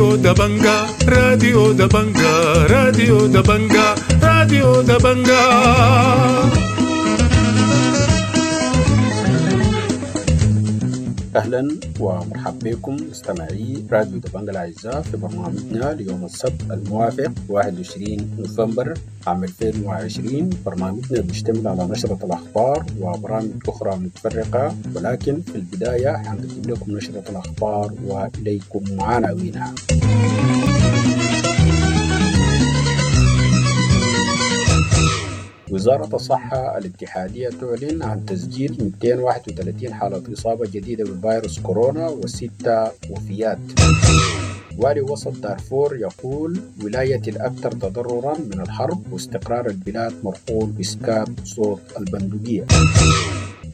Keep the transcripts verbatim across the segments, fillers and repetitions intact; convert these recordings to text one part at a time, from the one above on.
راديو دبنجا، راديو دبنجا، راديو دبنجا، راديو دبنجا. أهلا ومرحبا بكم مستمعي راديو دبنجا الأعزاء في برنامجنا ليوم السبت الموافق واحد وعشرين نوفمبر عام ألفين وعشرين. برنامجنا بيشتمل على نشرة الأخبار وبرامج أخرى متفرقة، ولكن في البداية حنقدم لكم نشرة الأخبار وإليكم عناوينها. وزارة الصحة الاتحادية تعلن عن تسجيل مئتين وواحد وثلاثين حالة إصابة جديدة بفيروس كورونا وستة وفيات. والي وسط دارفور يقول ولاية الأكثر تضررا من الحرب واستقرار البلاد مرهون بإسكات صوت البندقية.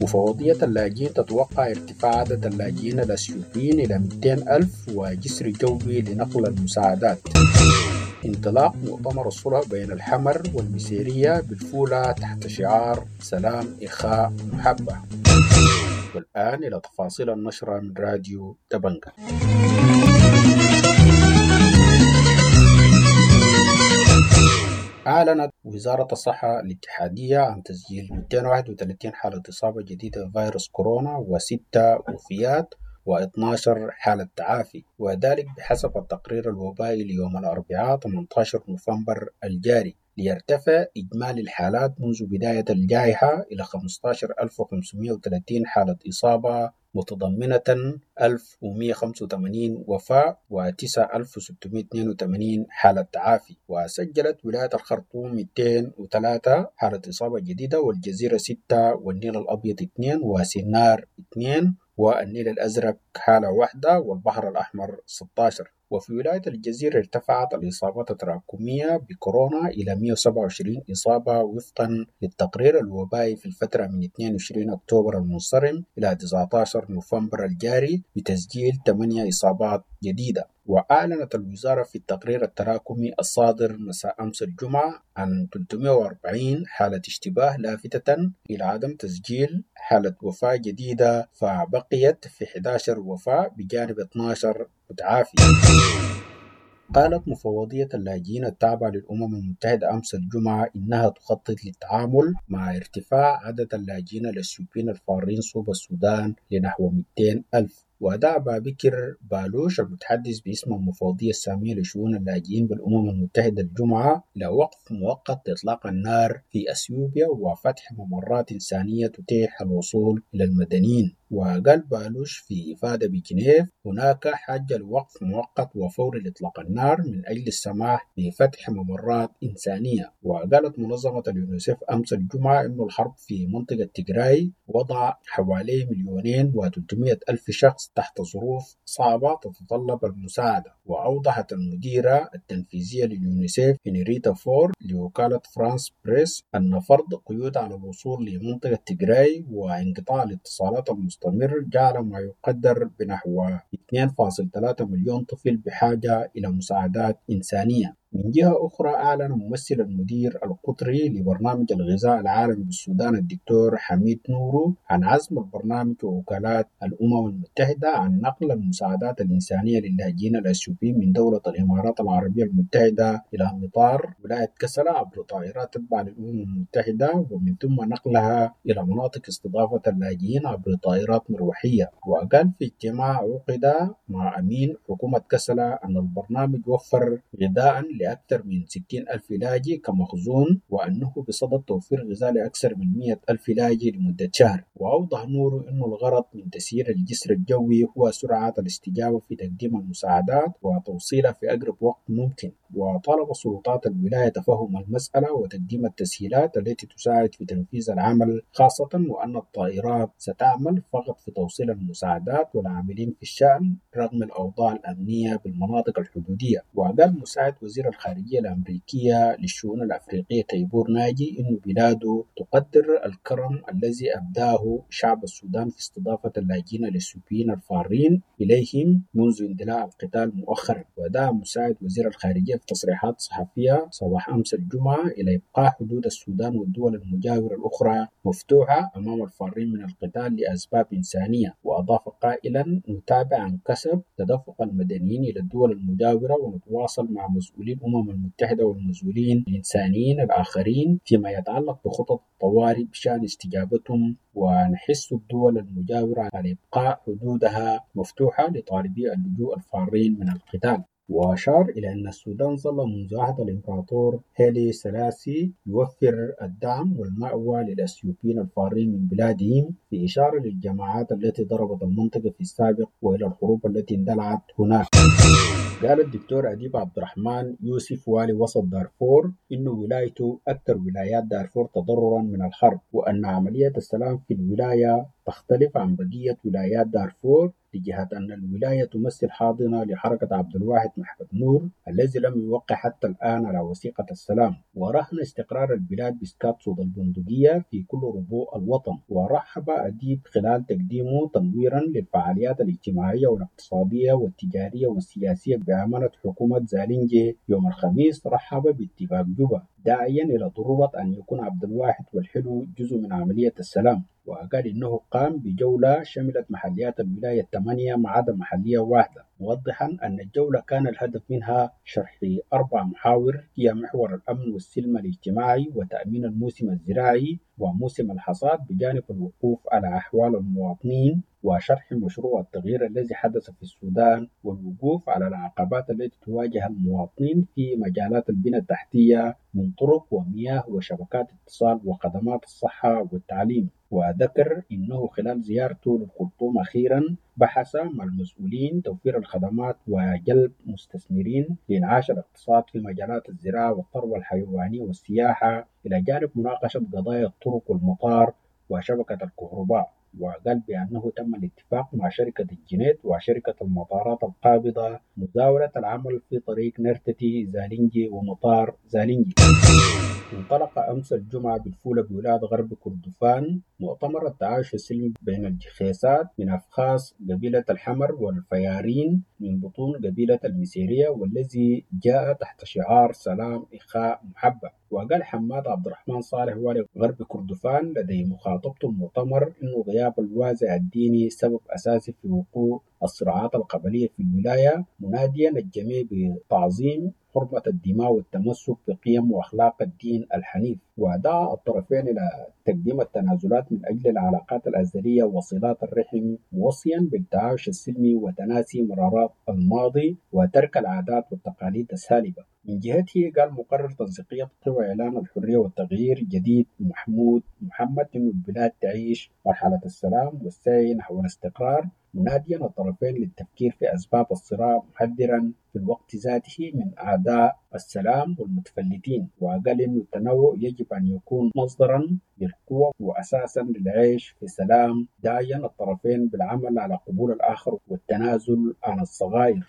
مفوضية اللاجئين تتوقع ارتفاع عدد اللاجئين الأثيوبيين إلى مئتين ألف وجسر جوي لنقل المساعدات. انطلاق مؤتمر الصلح بين الحمر والمسيرية بالفولة تحت شعار سلام إخاء محبة. والآن إلى تفاصيل النشرة من راديو دبنجا. أعلنت وزارة الصحة الاتحادية عن تسجيل مئتين وواحد وثلاثين حالة إصابة جديدة بفيروس كورونا وستة وفيات واثناشر حالة تعافي، وذلك بحسب التقرير الوبائي ليوم الأربعاء ثمانية عشر نوفمبر الجاري، ليرتفع إجمالي الحالات منذ بداية الجائحة إلى خمسة عشر ألف وخمسمائة وثلاثين حالة إصابة متضمنة ألف ومئة وخمسة وثمانين وفاة وتسعة ألف وستمائة واثنين وثمانين حالة تعافي. وسجلت ولاية الخرطوم مئتين وثلاثة حالة إصابة جديدة، والجزيرة ستة، والنيل الأبيض اثنين، وسنار اثنين، والنيل الأزرق حالة واحدة، والبحر الأحمر ستة عشر. وفي ولاية الجزيرة ارتفعت الإصابات التراكمية بكورونا إلى مئة وسبعة وعشرين إصابة وفقا للتقرير الوبائي في الفترة من اثنين وعشرين أكتوبر المنصرم إلى تسعة عشر نوفمبر الجاري بتسجيل ثمانية إصابات جديدة. وأعلنت الوزارة في التقرير التراكمي الصادر مساء أمس الجمعة عن ثلاثمائة وأربعين حالة اشتباه، لافتة إلى عدم تسجيل حالة وفاة جديدة، فبقيت في إحدى عشر وفاة بجانب اثني عشر متعافي. قالت مفوضية اللاجئين التابعة للأمم المتحدة أمس الجمعة إنها تخطط للتعامل مع ارتفاع عدد اللاجئين الأثيوبيين الفارين صوب السودان لنحو مئتين ألف. ودعا بابكر بالوش المتحدث باسم المفوضية السامية لشؤون اللاجئين بالأمم المتحدة الجمعة إلى وقف مؤقت لإطلاق النار في أثيوبيا وفتح ممرات إنسانية تتيح الوصول إلى المدنيين. وقال بالوش في إفادة بجنيف هناك حاجة لوقف مؤقت وفوري لإطلاق النار من أجل السماح بفتح ممرات إنسانية. وقالت منظمة اليونيسف أمس الجمعة إن الحرب في منطقة تيغراي وضع حوالي مليونين وثلاثمائة ألف شخص تحت ظروف صعبة تتطلب المساعدة. وأوضحت المديرة التنفيذية لليونيسف هنريتا فور لوكالة فرانس بريس أن فرض قيود على الوصول لمنطقة تيغراي وانقطاع الاتصالات المستمر جعل ما يقدر بنحو اثنين فاصل ثلاثة مليون طفل بحاجة إلى مساعدات إنسانية. من جهة أخرى أعلن ممثل المدير القطري لبرنامج الغذاء العالمي بالسودان الدكتور حميد نورو عن عزم البرنامج ووكالات الأمم المتحدة عن نقل المساعدات الإنسانية للاجئين الأثيوبيين من دولة الإمارات العربية المتحدة إلى مطار ولاية كسلا عبر طائرات تتبع للأمم المتحدة، ومن ثم نقلها إلى مناطق استضافة اللاجئين عبر طائرات مروحية. وقال في اجتماع عقد مع أمين حكومة كسلا أن البرنامج وفر غذاء لأكثر من ستين ألف لاجئ كمخزون، وأنه بصدد توفير غذاء لأكثر من مئة ألف لاجئ لمدة شهر. وأوضح نورو أن الغرض من تسيير الجسر الجوي هو سرعة الاستجابة في تقديم المساعدات وتوصيلها في أقرب وقت ممكن. وطالب سلطات الولاية تفهم المسألة وتقديم التسهيلات التي تساعد في تنفيذ العمل، خاصة وأن الطائرات ستعمل فقط في توصيل المساعدات والعاملين في الشأن رغم الأوضاع الأمنية بالمناطق الحدودية. وقال مساعد وزير الخارجية الأمريكية للشؤون الأفريقية تيبور ناجي إن بلاده تقدر الكرم الذي أبداه له شعب السودان في استضافة اللاجئين الإثيوبيين الفارين إليهم منذ اندلاع القتال مؤخرا. ودعا مساعد وزير الخارجية في تصريحات صحفية صباح أمس الجمعة إلى إبقاء حدود السودان والدول المجاورة الأخرى مفتوحة أمام الفارين من القتال لأسباب إنسانية. وأضاف قائلا: نتابع عن كثب تدفق المدنيين إلى الدول المجاورة ونتواصل مع مسؤولي الأمم المتحدة والمسؤولين الإنسانيين الآخرين فيما يتعلق بخطط الطوارئ بشأن استجابتهم، ونحث الدول المجاورة على إبقاء حدودها مفتوحة لطالبي اللجوء الفارين من القتال. وأشار إلى أن السودان ظل منذ عهد الإمبراطور هيلي سلاسي يوفر الدعم والمأوى للأثيوبيين الفارين من بلادهم، في إشارة للجماعات التي ضربت المنطقة في السابق وإلى الحروب التي اندلعت هناك. قال الدكتور أديب عبد الرحمن يوسف والي وسط دارفور إنه ولايته أكثر ولايات دارفور تضررا من الحرب، وأن عملية السلام في الولاية تختلف عن بقية ولايات دارفور لجهة أن الولاية تمثل حاضنة لحركة عبد الواحد محمد نور الذي لم يوقع حتى الآن على وثيقة السلام، ورهن استقرار البلاد بإسكات صوت البندقية في كل ربوع الوطن. ورحب أديب خلال تقديمه تنويرا للفعاليات الاجتماعية والاقتصادية والتجارية والسياسية بأمانة حكومة زالينجي يوم الخميس، رحب باتفاق جوبا داعيا إلى ضرورة أن يكون عبد الواحد والحلو جزء من عملية السلام. وقال إنه قام بجولة شملت محليات الولاية الثمانية ما عدا محلية واحدة، موضحا أن الجولة كان الهدف منها شرح أربع محاور هي محور الأمن والسلم الاجتماعي وتأمين الموسم الزراعي وموسم الحصاد، بجانب الوقوف على أحوال المواطنين وشرح مشروع التغيير الذي حدث في السودان والوقوف على العقبات التي تواجه المواطنين في مجالات البنى التحتية من طرق ومياه وشبكات اتصال وخدمات الصحة والتعليم. وذكر إنه خلال زيارته للخرطوم أخيرا بحث مع المسؤولين توفير الخدمات وجلب مستثمرين لإنعاش الاقتصاد في مجالات الزراعة والثروة الحيوانية والسياحة، إلى جانب مناقشة قضايا الطرق والمطار وشبكة الكهرباء. وقال بأنه تم الاتفاق مع شركة الجنيد وشركة المطارات القابضة مزاولة العمل في طريق نرتتي زالينجي ومطار زالينجي. انطلق أمس الجمعة بالفولة بولاية غرب كردفان مؤتمر التعايش السلمي بين الجخيسات من أفخاص قبيلة الحمر والفيارين من بطون قبيلة المسيرية، والذي جاء تحت شعار سلام إخاء محبة. وقال حماد عبد الرحمن صالح والي غرب كردفان لدي مخاطبته المؤتمر إنه غياب الوازع الديني سبب أساسي في وقوع الصراعات القبلية في الولاية، مناديا الجميع بتعظيم حرمة الدماء والتمسك بقيم وأخلاق الدين الحنيف. ودعا الطرفين إلى تقديم التنازلات من أجل العلاقات الأزلية وصلات الرحم، موصيا بالتعايش السلمي وتناسي مرارات الماضي وترك العادات والتقاليد السالبة. من جهته قال مقرر تنسيقية قوى إعلان الحرية والتغيير الجديد محمود محمد إنه البلاد تعيش مرحلة السلام والسعي نحو الاستقرار، مناديا الطرفين للتفكير في أسباب الصراع، محذرا في الوقت ذاته من أعداء السلام والمتفلتين. وقال إنه التنوع يجب أن يكون مصدرا للقوة وأساسا للعيش في سلام، داعيا الطرفين بالعمل على قبول الآخر والتنازل عن الصغائر.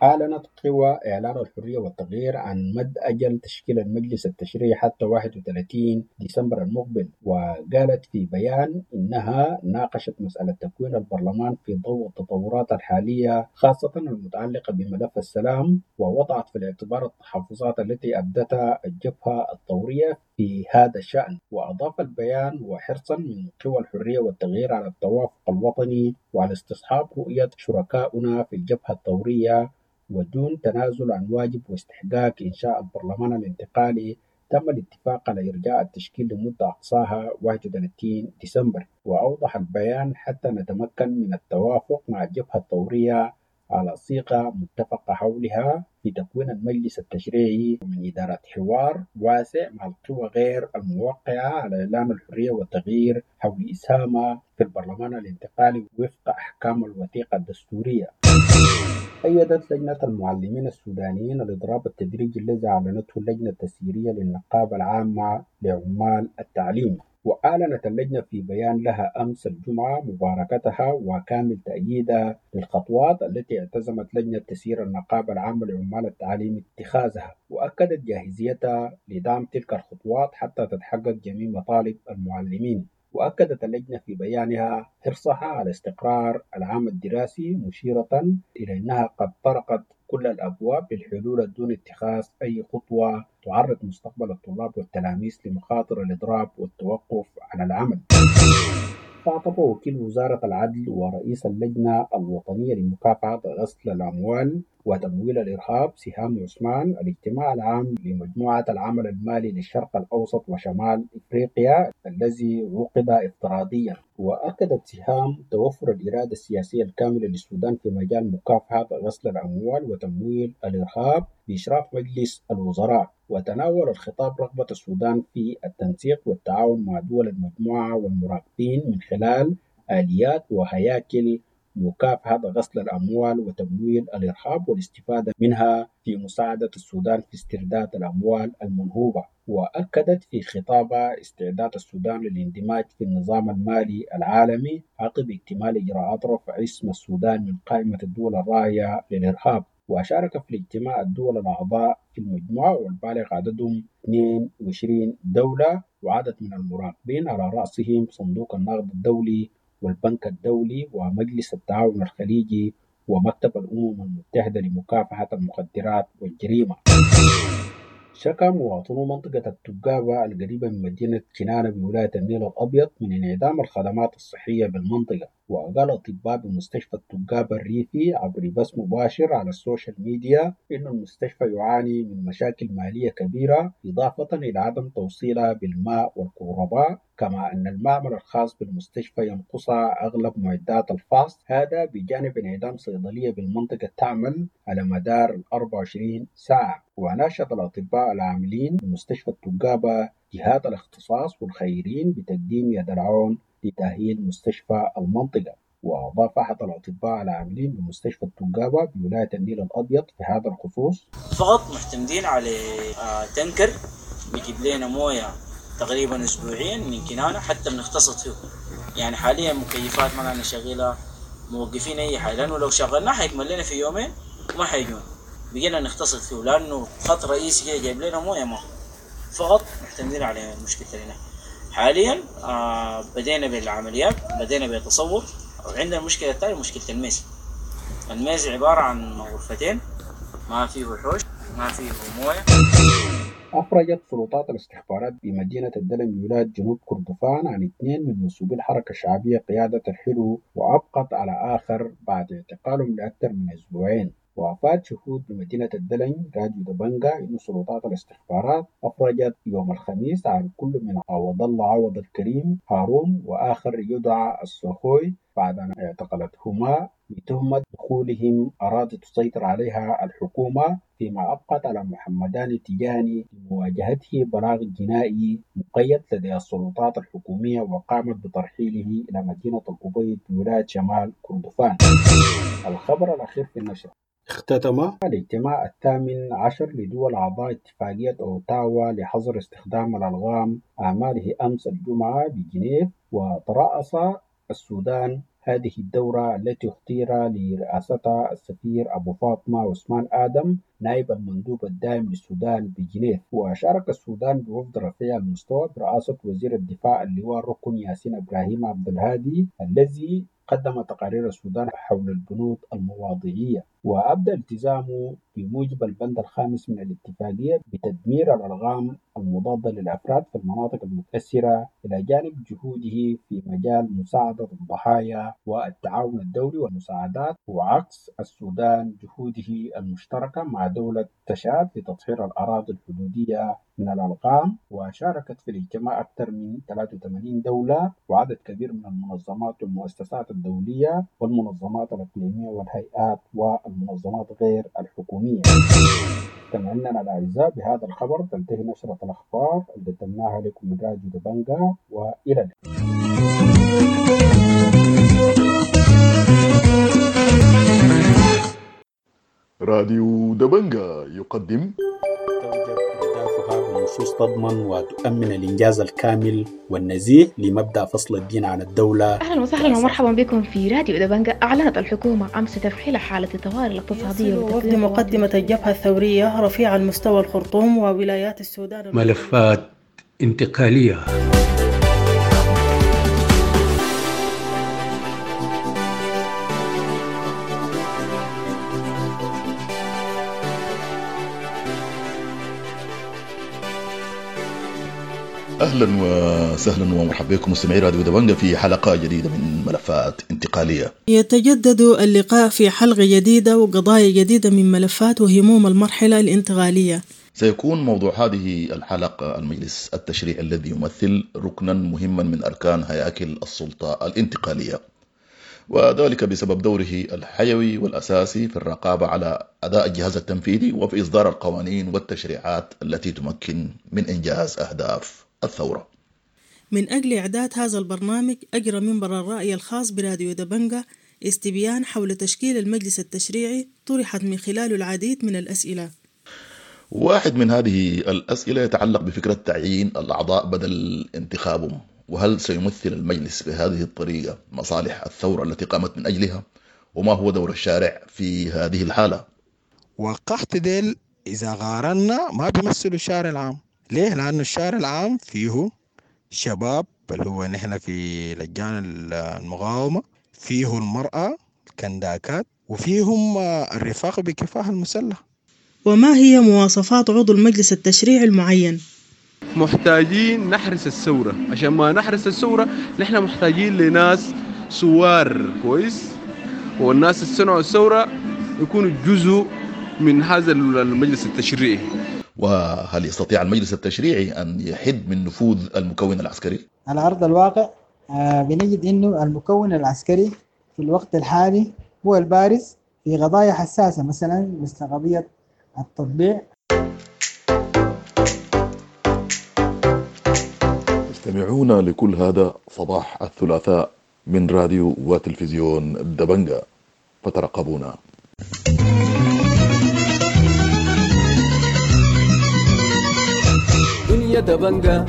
أعلنت قوى إعلان الحرية والتغيير عن مد أجل تشكيل المجلس التشريعي حتى واحد وثلاثين ديسمبر المقبل، وقالت في بيان إنها ناقشت مسألة تكوين البرلمان في ضوء التطورات الحالية خاصة المتعلقة بملف السلام، ووضعت في الاعتبار التحفظات التي أبدتها الجبهة الثورية في هذا الشأن. وأضاف البيان: وحرصا من قوى الحرية والتغيير على التوافق الوطني وعلى استصحاب رؤية شركائنا في الجبهة الثورية ودون تنازل عن واجب واستحقاق إنشاء البرلمان الانتقالي، تم الاتفاق على إرجاء التشكيل لمدة أقصاها واحد وثلاثين ديسمبر. وأوضح البيان: حتى نتمكن من التوافق مع الجبهة الثورية على صيغة متفقة حولها في تكوين المجلس التشريعي ومن إدارة حوار واسع مع القوى غير الموقعة على إعلان الحرية والتغيير حول إسهامها في البرلمان الانتقالي وفق أحكام الوثيقة الدستورية. أيدت لجنة المعلمين السودانيين الإضراب التدريجي الذي أعلنته اللجنة التسييرية للنقابة العامة لعمال التعليم. وأعلنت اللجنة في بيان لها أمس الجمعة مباركتها وكامل تأييدها للخطوات التي اعتزمت لجنة تسيير النقابة العامة لعمال التعليم اتخاذها، وأكدت جاهزيتها لدعم تلك الخطوات حتى تتحقق جميع مطالب المعلمين. وأكدت اللجنة في بيانها حرصها على استقرار العام الدراسي، مشيرة إلى أنها قد طرقت كل الأبواب للحلول دون اتخاذ أي خطوة تعرض مستقبل الطلاب والتلاميذ لمخاطر الإضراب والتوقف عن العمل. خاطب وكيل وزارة العدل ورئيس اللجنة الوطنية لمكافحة غسل الأموال وتمويل الإرهاب سهام عثمان الاجتماع العام لمجموعة العمل المالي للشرق الأوسط وشمال إفريقيا الذي عقد افتراضيا. وأكدت سهام توفر الإرادة السياسية الكاملة للسودان في مجال مكافحة غسل الأموال وتمويل الإرهاب بإشراف مجلس الوزراء. وتناول الخطاب رغبة السودان في التنسيق والتعاون مع دول المجموعة والمراقبين من خلال آليات وهياكل مكافحة غسل الأموال وتمويل الإرهاب والاستفادة منها في مساعدة السودان في استرداد الأموال المنهوبة. وأكدت في خطابها استعداد السودان للاندماج في النظام المالي العالمي عقب اكتمال إجراءات رفع اسم السودان من قائمة الدول الراعية للإرهاب. وشارك في الاجتماع الدول الأعضاء في المجموعة والبالغ عددهم اثنين وعشرين دولة وعدد من المراقبين على رأسهم صندوق النقد الدولي والبنك الدولي ومجلس التعاون الخليجي ومكتب الأمم المتحدة لمكافحة المخدرات والجريمة. شكى مواطنو منطقة التقابة القريبة من مدينة كنانة بولاية النيل الأبيض من انعدام الخدمات الصحية بالمنطقة. وقال أطباء بمستشفى التقابة الريفي عبر بث مباشر على السوشيال ميديا إن المستشفى يعاني من مشاكل مالية كبيرة، إضافة إلى عدم توصيلها بالماء والكهرباء، كما أن المعمل الخاص بالمستشفى ينقصها أغلب معدات الفحص، هذا بجانب انعدام صيدلية بالمنطقة تعمل على مدار أربعة وعشرين ساعة. وناشد الأطباء العاملين بمستشفى التقابة جهات الاختصاص والخيرين بتقديم يد العون لتأهيل مستشفى المنطقة. وأضاف أحد الأطباء العاملين بمستشفى التقابة بولاية النيل الأبيض في هذا الخصوص: فقط معتمدين على تنكر بيجيب لنا موية تقريبا اسبوعيا من كنانة حتى بنقتصد فيه. يعني حاليا مكيفات ما لنا شغيله، موقفين اي حاجه، لانه لو شغلناه حيكمل لنا في يومين وما حيجون. بقينا نقتصد فيه لانه خط رئيسي كده جايب لنا مويه ما فقط معتمدين على مشكلة لنا حاليا. آه بدينا بالعمليات، بدينا بالتصور. وعندنا المشكله الثانيه مشكله الميز. الميز عباره عن غرفتين ما فيه حوش ما فيه مويه. أفرجت سلطات الاستخبارات بمدينة الدلم بولاية جنوب كردفان عن اثنين من منسوبي الحركة الشعبية قيادة الحلو، وأبقت على آخر بعد اعتقالهم لأكثر من أسبوعين. وأفاد شهود بمدينة الدلم راديو دبنجا أن سلطات الاستخبارات أفرجت يوم الخميس عن كل من عوض الله عوض الكريم هارون وآخر يدعى السوخوي بعد أن اعتقلتهما بتهمة دخولهم أراضي تسيطر عليها الحكومة، فيما أبقت على محمدان تجاني لمواجهته بلاغ جنائي مقيد لدى السلطات الحكومية وقامت بترحيله إلى مدينة الأبيض بولاية شمال كردفان. الخبر الأخير في النشرة: اختتم الاجتماع الثامن عشر لدول أعضاء اتفاقية أوتاوا لحظر استخدام الألغام أعماله أمس الجمعة بجنيف، وترأس السودان هذه الدورة التي اختير لرئاستها السفير أبو فاطمة عثمان آدم نائب المندوب الدائم للسودان بجنيف. وشارك السودان بوفد رفيع المستوى برئاسة وزير الدفاع اللواء الركن ياسين إبراهيم عبد الهادي الذي قدم تقارير السودان حول البنود المواضيعية. وأبدى التزامه بموجب البند الخامس من الاتفاقية بتدمير الألغام المضادة للأفراد في المناطق المتأثرة، إلى جانب جهوده في مجال مساعدة الضحايا والتعاون الدولي والمساعدات، وعكس السودان جهوده المشتركة مع دولة تشاد لتطهير الأراضي الحدودية من الألغام. وشاركت في الاجتماع أكثر من ثلاثة وثمانين دولة وعدد كبير من المنظمات والمؤسسات الدولية والمنظمات الإقليمية والهيئات والمنظمات غير الحكومية. مستمعينا الأعزاء، بهذا الخبر تنتهي نشرة الأخبار اللي قدمناها لكم من راديو دبنجا، وإلى اللقاء. راديو دبنجا يقدم توجب إردافها بنصوص تضمن وتؤمن الإنجاز الكامل والنزيه لمبدأ فصل الدين عن الدولة. أهلا وسهلا ومرحبا بكم في راديو دبنجا. أعلنت الحكومة أمس تفعيل حالة الطوارئ الاقتصادية وفد مقدمة الجبهة الثورية رفيع المستوى الخرطوم وولايات السودان. ملفات انتقالية. اهلا وسهلا ومرحبا بكم مستمعي راديو دبنجة في حلقة جديدة من ملفات انتقالية. يتجدد اللقاء في حلقة جديدة وقضايا جديدة من ملفات وهموم المرحلة الانتقالية. سيكون موضوع هذه الحلقة المجلس التشريعي الذي يمثل ركنا مهما من أركان هياكل السلطة الانتقالية، وذلك بسبب دوره الحيوي والأساسي في الرقابة على أداء الجهاز التنفيذي وفي إصدار القوانين والتشريعات التي تمكن من إنجاز أهداف الثورة. من أجل إعداد هذا البرنامج أجرى منبر الرأي الخاص براديو دبنجة استبيان حول تشكيل المجلس التشريعي طرحت من خلاله العديد من الأسئلة. واحد من هذه الأسئلة يتعلق بفكرة تعيين الأعضاء بدل انتخابهم، وهل سيمثل المجلس بهذه الطريقة مصالح الثورة التي قامت من أجلها؟ وما هو دور الشارع في هذه الحالة؟ وقحت ديل إذا قارنا ما بيمثلوا الشارع العام. ليه؟ لأنه الشارع العام فيه شباب اللي هو نحن في لجان المقاومة، فيه المرأة الكنداكات، وفيهم الرفاق بكفاح المسلح. وما هي مواصفات عضو المجلس التشريعي المعين؟ محتاجين نحرس الثورة، عشان ما نحرس الثورة نحن محتاجين لناس سوار كويس، والناس اللي صنعوا الثورة يكونوا جزء من هذا المجلس التشريعي. وهل يستطيع المجلس التشريعي أن يحد من نفوذ المكون العسكري؟ على أرض الواقع بنجد أنه المكون العسكري في الوقت الحالي هو البارز في قضايا حساسة، مثلا مثل قضية التطبيع. تستمعون لكل هذا صباح الثلاثاء من راديو وتلفزيون دبنجة، فترقبونا. دنيا دبنجة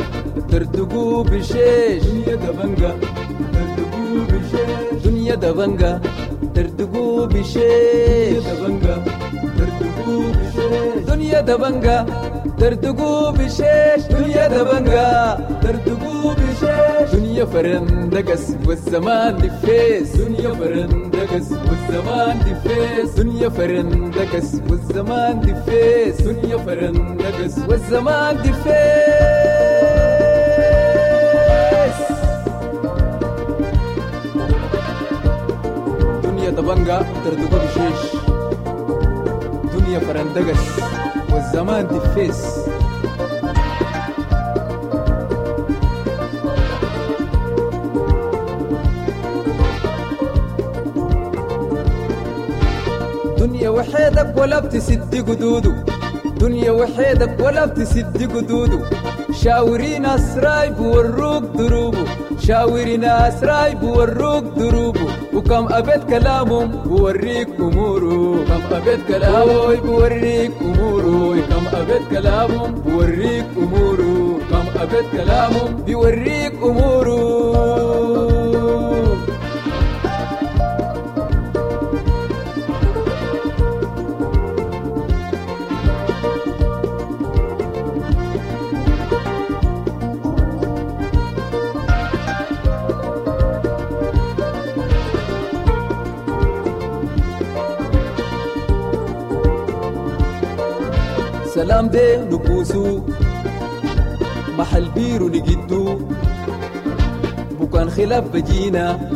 ترتقو بشيش، دنيا دبنجة ترتقو بشيش، دنيا دبنجة ترتقو بشيش، دبنجة ترتقو بشيش، دنيا دبنجة ترتقو بشيش، دنيا دبنجة ترتقو بشيش، دنيا فرندقس والزمان دفيس، دنيا فرندقس والزمان دفيس، دنيا فرندقس والزمان دفيس، دنيا فرندقس والزمان دفيس. دنيا دبنجة ترتقو بشيش، دنيا فرندقس والزمان دفيس. دنيا وحيدك ولا بتسد قدوده، دنيا وحيدك ولا بتسد قدوده، شاوري ناس رايب وروك دروبه، شاوري ناس رايب وروك دروبه، وكم أبيت كلامهم بوريك أموره، كم أبيت كلامه بوريك أموره، كم أبيت كلامهم بوريك أموره، كم أبيت كلامهم بيوريك أموره. سلام دي نبوسو محل بيرو نجدو، بكان خلاف بجينا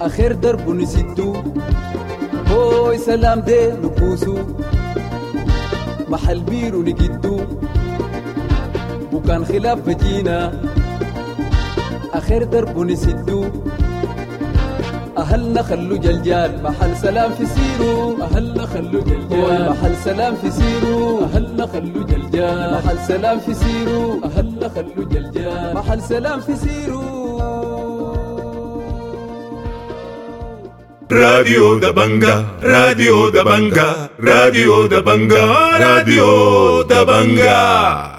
آخر درب نسدو، هوي سلام دي نبوسو محل بيرو نجدو، بكان خلاف بجينا آخر درب نسدو، أهلنا خلو جلجال محل سلام في سيرو، أهلنا خلو جلجال محل سلام في سيرو، أهلنا خلو جلجال محل سلام في سيرو، أهلنا خلو جلجال محل سلام في سيرو. راديو دبنجة، راديو دبنجة، راديو دبنجة، راديو دبنجة.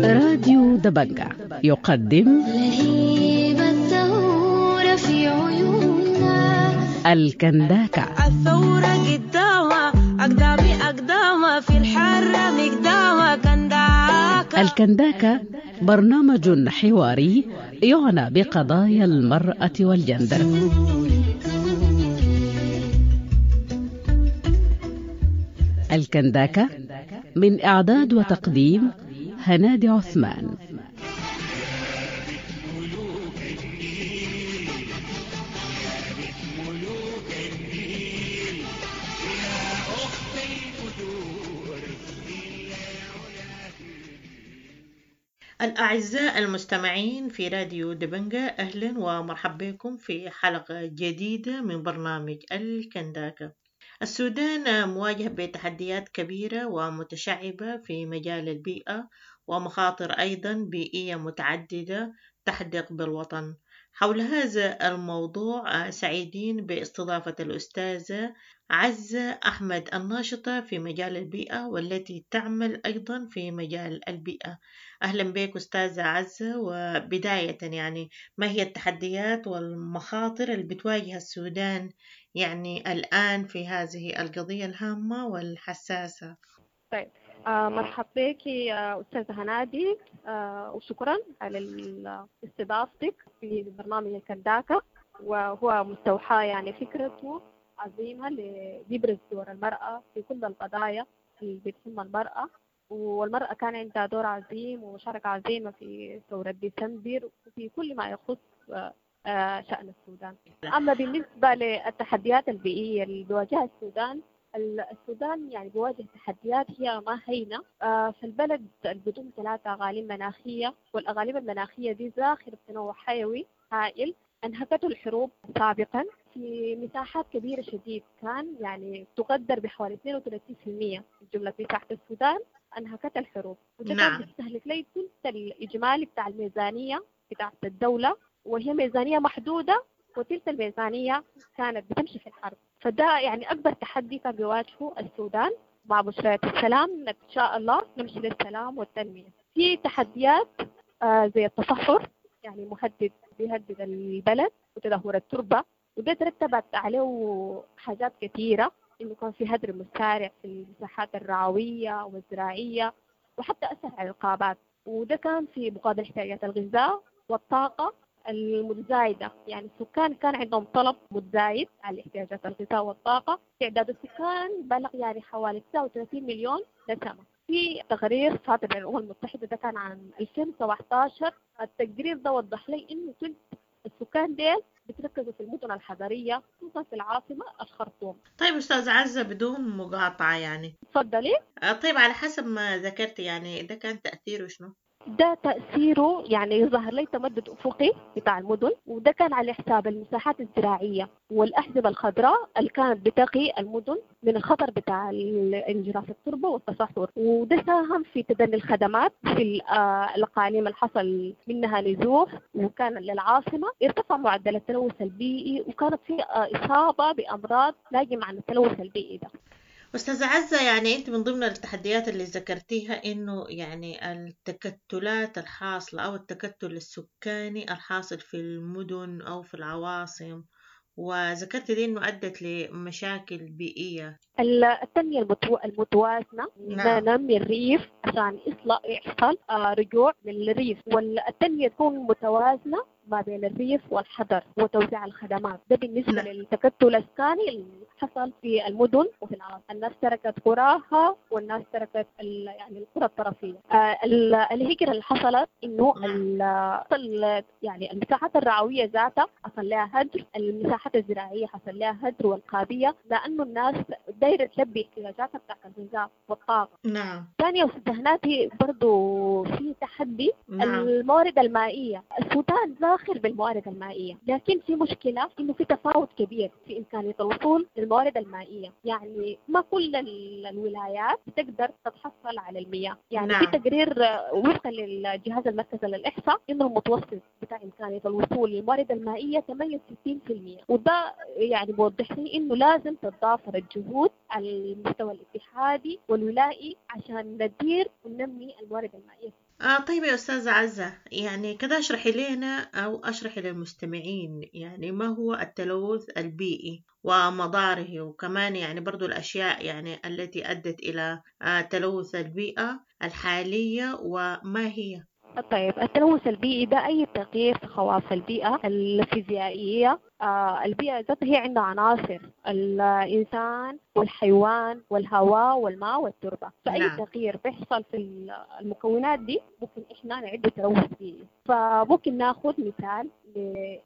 راديو دبنجة يقدم لهيب الثورة في عيوننا الكنداكة. الثورة قدامها أقدامي أقدامها في الحرة مقدامها كنداكة. الكنداكة برنامج حواري يعنى بقضايا المرأة والجندر. الكنداكة من إعداد وتقديم هنادي عثمان. الأعزاء المستمعين في راديو دبنجة، أهلا ومرحبا بكم في حلقة جديدة من برنامج الكنداكة. السودان مواجه بتحديات كبيرة ومتشعبة في مجال البيئة، ومخاطر أيضا بيئية متعددة تحدق بالوطن. حول هذا الموضوع سعيدين باستضافة الأستاذة عزة أحمد، الناشطة في مجال البيئة والتي تعمل أيضا في مجال البيئة. أهلا بك أستاذة عزة. وبداية يعني ما هي التحديات والمخاطر اللي بتواجه السودان يعني الآن في هذه القضية الهامة والحساسة؟ طيب آه مرحبا بك يا أستاذة هنادي، آه وشكرا على استضافتك في برنامج الكنداكة، وهو مستوحى يعني فكرته عظيمة ليبرز دور المرأة في كل القضايا اللي بتهم المرأة، والمرأة كان عندها دور عظيم ومشاركة عظيمة في ثورة ديسمبر وفي كل ما يخص آه شأن السودان. أما بالنسبة للتحديات البيئية اللي بيواجهها السودان، السودان يعني بيواجه تحديات هي ما هينة. آه فالبلد بدون ثلاثة أغاليم مناخية، والأغاليم المناخية دي زاخرة بتنوع حيوي هائل أنهكته الحروب سابقا في مساحات كبيرة شديد، كان يعني تقدر بحوالي اثنين وثلاثين بالمئة من جملة مساحة السودان أنهكت الحروب، وده نعم. كان بيستهلك لي ثلث الإجمالي بتاع الميزانية بتاعت الدولة، وهي ميزانية محدودة، وتلك الميزانية كانت بتمشي في الحرب. فده يعني أكبر تحدي كان بيواجهه السودان. مع بشرية السلام إن شاء الله نمشي للسلام والتنمية. في تحديات آه زي التصحر، يعني مهدد بيهدد البلد، وتدهور التربة، وده ترتبت عليه حاجات كثيرة، إنه كان في هدر مسارع في المساحات الرعوية والزراعية، وحتى أثر على الغابات، وده كان في مقابل احتياجات الغذاء والطاقة المتزايدة. يعني السكان كان عندهم طلب متزايد على احتياجات الغذاء والطاقة. تعداد السكان بلغ يعني حوالي تسعة وثلاثين مليون نسمة. في تقرير صادر من الأمم المتحدة ده كان عام ألفين وسبعة عشر، التقرير ده وضح لي إنه ثلث السكان ديل بتركزوا في المدن الحضرية، خصوصا في العاصمة الخرطوم. طيب أستاذ عزة، بدون مقاطعة يعني تفضلي. طيب على حسب ما ذكرت يعني ده كان تأثيره شنو؟ ده تأثيره يعني ظهر لي تمدد أفقي بتاع المدن، وده كان على حساب المساحات الزراعية والأحزمة الخضراء اللي كانت بتقي المدن من الخطر بتاع انجراف التربة والتصحر، وده ساهم في تدني الخدمات في الأقاليم اللي حصل منها نزوح وكان للعاصمة. ارتفع معدل التلوث البيئي، وكانت في إصابة بأمراض ناجمة عن التلوث البيئي ده. أستاذة عزة، يعني أنت من ضمن التحديات اللي ذكرتيها إنه يعني التكتلات الحاصلة أو التكتل السكاني الحاصل في المدن أو في العواصم، وذكرت دي إنه أدت لمشاكل بيئية. التنمية المتوازنة، نعم. ننمي الريف عشان يحصل رجوع للريف، والتنمية تكون متوازنة ما بين الريف والحضر وتوزيع الخدمات. ده بالنسبة نعم. للتكتل السكاني اللي حصل في المدن وفي العاصمة. الناس تركت قراها والناس تركت يعني القرى الطرفية. آه الهجرة اللي حصلت إنه يعني المساحات الرعوية ذاتها حصل لها هدر، المساحات الزراعية حصل لها هدر، والقابية، لأنه الناس دايرة تلبي احتياجاتها بتاعت الغذاء والطاقة. نعم. ثانية وسدهناتي برضو في تحدي نعم. الموارد المائية. السودان زاخر بالموارد المائية، لكن في مشكلة إنه في تفاوت كبير في إمكانية الوصول للموارد المائية. يعني ما كل الولايات بتقدر تتحصل على المياه. يعني نعم. في تقرير وفقا للجهاز المركزي للإحصاء إنه المتوسط بتاع إمكانية الوصول للموارد المائية ثمانية وستين بالمئة، وده يعني بوضح لي إنه لازم تتضافر الجهود على المستوى الاتحادي والولائي عشان ندير وننمي الموارد المائية. آه طيب يا أستاذة عزة، يعني كده اشرحي لنا أو اشرحي للمستمعين يعني ما هو التلوث البيئي ومضاره، وكمان يعني برضو الأشياء يعني التي أدت إلى آه تلوث البيئة الحالية وما هي؟ طيب التلوث البيئي ده أي تغيير في خواص البيئة الفيزيائية آه البيئة ذاتها هي عندها عناصر، الإنسان والحيوان والهواء والماء والتربة. فأي نعم. تغيير بيحصل في المكونات دي ممكن إحنا نعده تلوث بيئي. فممكن ناخذ مثال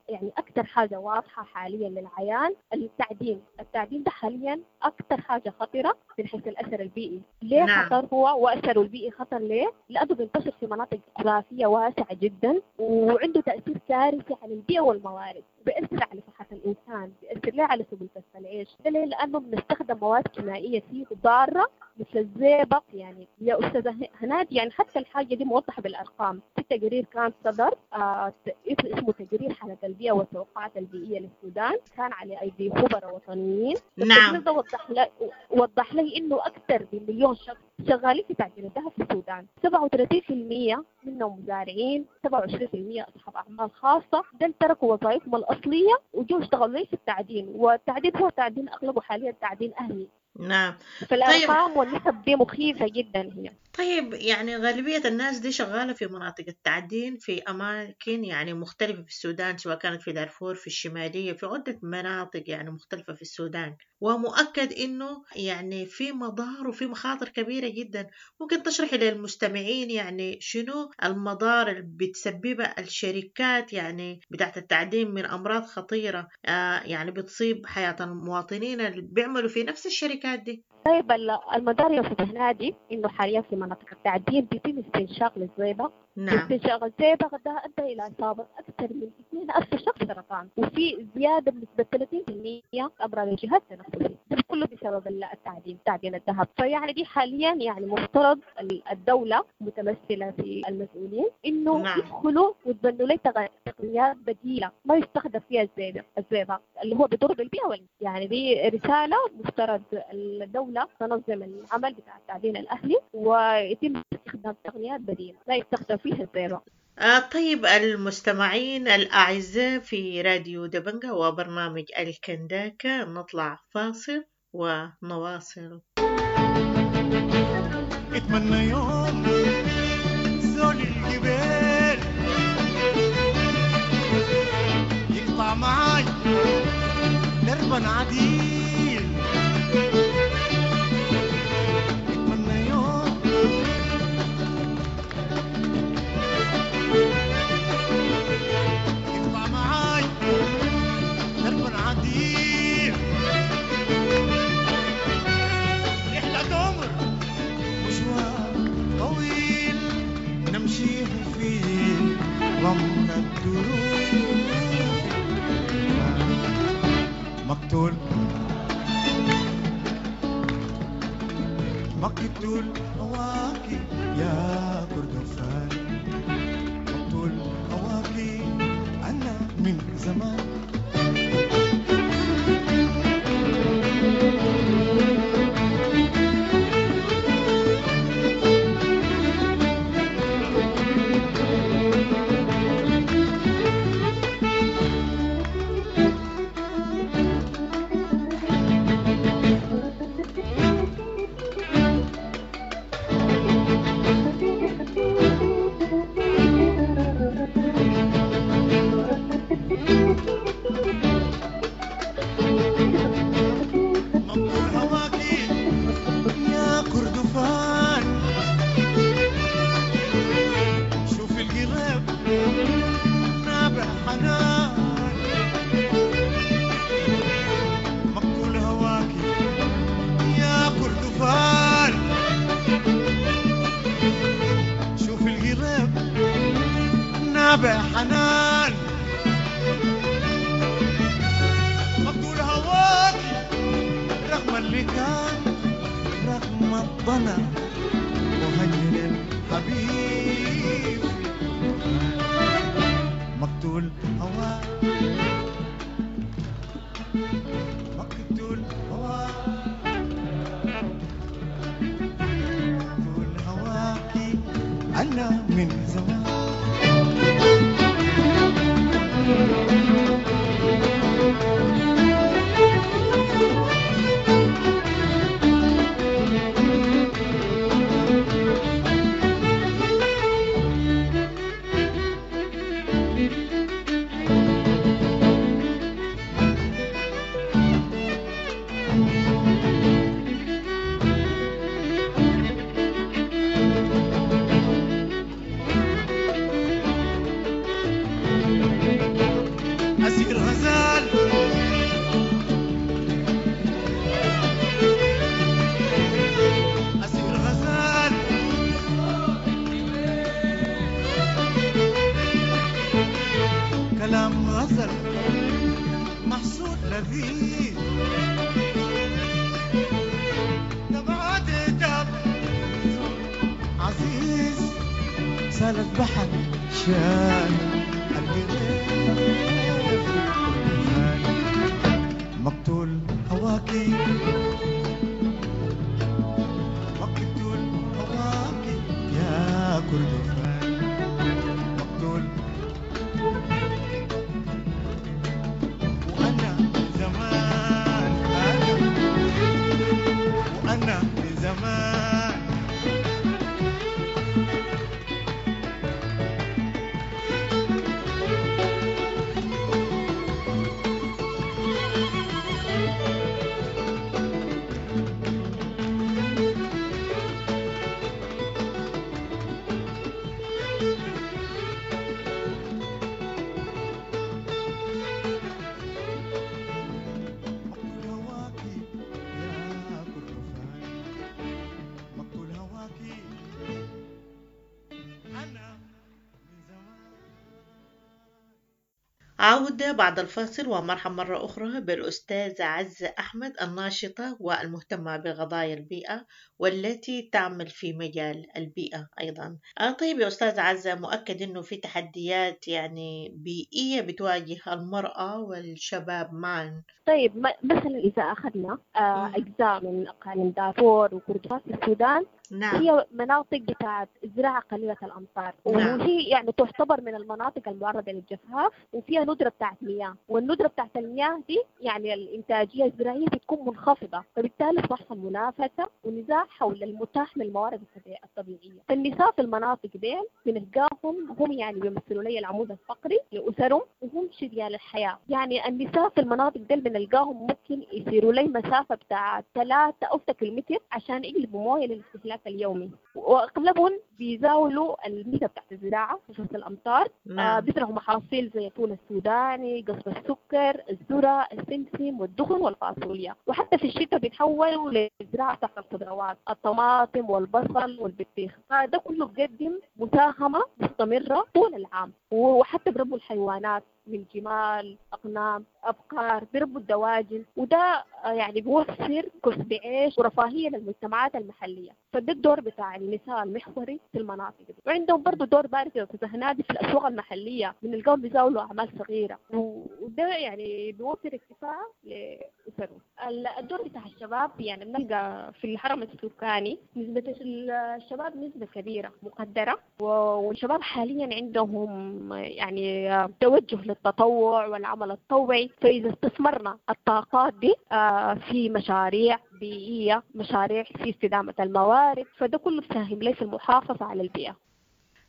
يعني أكثر حاجة واضحة حاليا للعيان التعدين. التعدين ده حاليا أكثر حاجة خطرة من حيث الأثر البيئي. ليه نعم. خطر هو وأثره البيئي خطر ليه؟ لأنه بينتشر في مناطق جغرافية واسعة جدا، وعنده تأثير كارثي على البيئة والموارد، بيأثر على صحة الإنسان، بيأثر ليه على سبل كسب العيش. ده ليه؟ لأنه بنستخدم مواد كيميائية فيه ضارة مثل الزئبق. يعني يا أستاذة هنادي، يعني حتى الحاجة دي موضحة بالأرقام. في تقرير كان صدر آه اسمه تقرير حالة البيئة والتوقعات البيئية للسودان، كان على أيدي خبراء وطنيين. نعم. ده وضح لي وضح لي إنه أكثر من مليون شخص شغالين في تعدين الذهب في السودان، سبعة وثلاثين بالمئة منهم مزارعين، سبعة وعشرين بالمئة أصحاب أعمال خاصة، دول تركوا وظائفهم الأصلية وجوا اشتغلوا في التعدين. والتعدين هو تعدين أغلبه حاليا تعدين أهلي. نعم. فالأرقام طيب. والنسب دي مخيفة جدا هي. طيب يعني غالبية الناس دي شغالة في مناطق التعدين في أماكن يعني مختلفة في السودان، سواء كانت في دارفور، في الشمالية، في عدة مناطق يعني مختلفة في السودان، ومؤكد إنه يعني في مضار وفي مخاطر كبيرة جدا. ممكن تشرحي للمستمعين يعني شنو المضار اللي بتسببها الشركات يعني بتاعت التعدين من أمراض خطيرة آه يعني بتصيب حياة المواطنين اللي بيعملوا في نفس الشركات دي؟ طيب المدار يا أستاذ هنادي إنه حاليا في مناطق التعدين بيتم استنشاق للزئبق. نعم. استنشاق الزئبق ده أدى إلى إصابة أكثر من اثنين ألف شخص سرطان، وفي زيادة بنسبة ثلاثين بالمئة أمراض الجهاز التنفسي، ده كله بسبب التعدين، تعدين الذهب. فيعني دي حاليا يعني مفترض الدولة متمثلة في المسؤولين إنه نعم. يدخلوا ويتبنوا لي تقنيات بديلة ما يستخدم فيها الزئبق، الزئبق اللي هو بيضر بالبيئة. يعني دي رسالة مفترض الدولة تنظم العمل بتاع التعدين الأهلي ويتم استخدام تقنيات بديلة لا يستخدم فيها الزئبق. آه طيب المستمعين الأعزاء في راديو دبنجة وبرنامج الكنداكة، نطلع فاصل ونواصل. اتمنى يوم زول الجبال يقطع معاي دربا عديل، اتمنى يوم يقطع معاي دربا عديل، رحلة عمر مشوار طويل نمشيه في رمل الدروب، مقتول مقتول هواكي يا كردفان، مقتول هواكي أنا من زمان. حنان مقتول هواكي رغم اللي كان رغم الضنا مهجر الحبيب، مقتول هواك مقتول هواك مقتول هواكي أنا من زمان. حصدت محصول لذيذ دمعات دم عزيز سالت بحر شان القريب مقتول هواكي مقتول هواكي يا كردفان مقتول وأنا من زمان أنا وأنا من زمان مقتول هواكي يا كردفان مقتول هواكي أنا من زمان. عودة بعد الفاصل، ومرحبا مرة أخرى بالأستاذة عزة أحمد الناشطة والمهتمة بقضايا البيئة والتي تعمل في مجال البيئة أيضا. آه طيب يا أستاذة عزة، مؤكد أنه في تحديات يعني بيئية بتواجه المرأة والشباب معا. طيب م- مثلا إذا أخذنا آه، مم. أجزاء من أقاليم دارفور وكردفان في السودان، نعم. هي مناطق بتاعت زراعة قليلة الأمطار، نعم. وهي يعني تعتبر من المناطق المعرضة للجفاف، وفيها ندرة بتاعت مياه، والندرة بتاعت المياه دي يعني الإنتاجية الزراعية بتكون منخفضة، فبالتالي بتحصل منافسة ونزاع حول المتاح من الموارد الطبيع- الطبيعية. فالنساء في المناطق دي بنلقاهم هم يعني بيمثلوا لي العمود الفقري لأسرهم، وهم شريان الحياة. يعني النساء في المناطق دي بنلقاهم ممكن يسيروا لي مسافة بتاع ثلاثة أو ستة كيلومتر عشان يقلبوا موية للاستهلاك اليومي، وأغلبهم بيزاولوا الميزة بتاعت الزراعة في فصل الأمطار. آه نعم. بيزرعوا محاصيل زي الفول السوداني، قصب السكر، الذرة، السمسم والدخن والفاصوليا، وحتى في الشتاء بيتحولوا للزراعة تحت الخضروات، الطماطم والبصل والبطيخ. فده كله بيقدم مساهمة مستمرة طول العام، وحتى بربوا الحيوانات من جمال، أغنام، أبقار، بيربوا الدواجن، وده آه، يعني بيوفر كسب عيش ورفاهية للمجتمعات المحلية. فده الدور بتاع النساء المحوري في المناطق دي. وعندهم برضو دور بارز يا أستاذة هنادي في الأسواق المحلية، بنلقاهم بيزاولوا أعمال صغيرة، و- وده يعني بيوفر اكتفاء لأسرهم. ال- الدور بتاع الشباب يعني بنلقى في الهرم السكاني نسبة الشباب نسبة كبيرة مقدرة، و- والشباب حاليا عندهم يعني توجه للتطوع والعمل التطوعي. فإذا استثمرنا الطاقات دي آه، في مشاريع بيئية، مشاريع في استدامة الموارد، فده كله بيساهم لي في المحافظة على البيئة.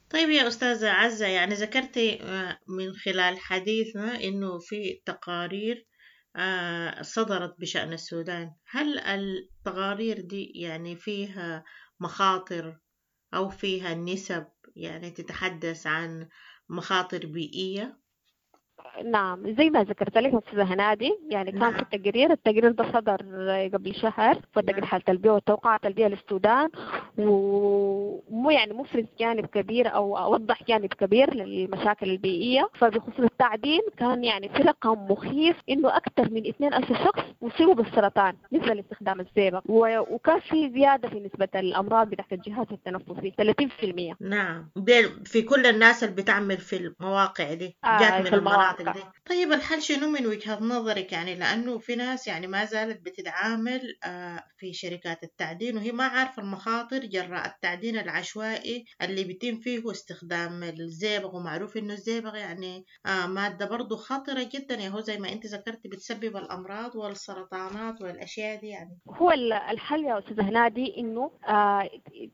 طيب يا أستاذة عزة، يعني ذكرتي آه، من خلال حديثنا إنه في تقارير آه، صدرت بشأن السودان، هل التقارير دي يعني فيها مخاطر أو فيها نسب يعني تتحدث عن مخاطر بيئية؟ نعم، زي ما ذكرت لك أستاذة هنادي، يعني كان نعم. في تقرير، التقرير ده صدر قبل شهر، فتقرير نعم. حالة البيئة والتوقعات البيئة للسودان، ومو يعني مفرز جانب كبير أو أوضح جانب كبير للمشاكل البيئية. فبخصوص التعدين كان يعني في رقم مخيف إنه أكثر من اثنين ألف شخص أصيبوا بالسرطان نسبة لاستخدام الزئبق، و- وكان في زيادة في نسبة الأمراض بتاعت الجهاز التنفسي ثلاثين في المية. نعم، دي في كل الناس اللي بتعمل في المواقع دي آه، جات من في المناطق المواقع. دي. طيب الحل شنو من وجهة نظرك؟ يعني لأنه في ناس يعني ما زالت بتتعامل آه، في شركات التعدين وهي ما عارفة المخاطر جراء التعدين العشوائي اللي بيتم فيه استخدام الزئبق، ومعروف إنه الزئبق يعني آه، مادة برضو خطرة جدا، يا هو زي ما أنت ذكرتي بتسبب الأمراض والسرطانات والأشياء دي يعني. هو ال- الحل يا أستاذة هنادي إنه آه،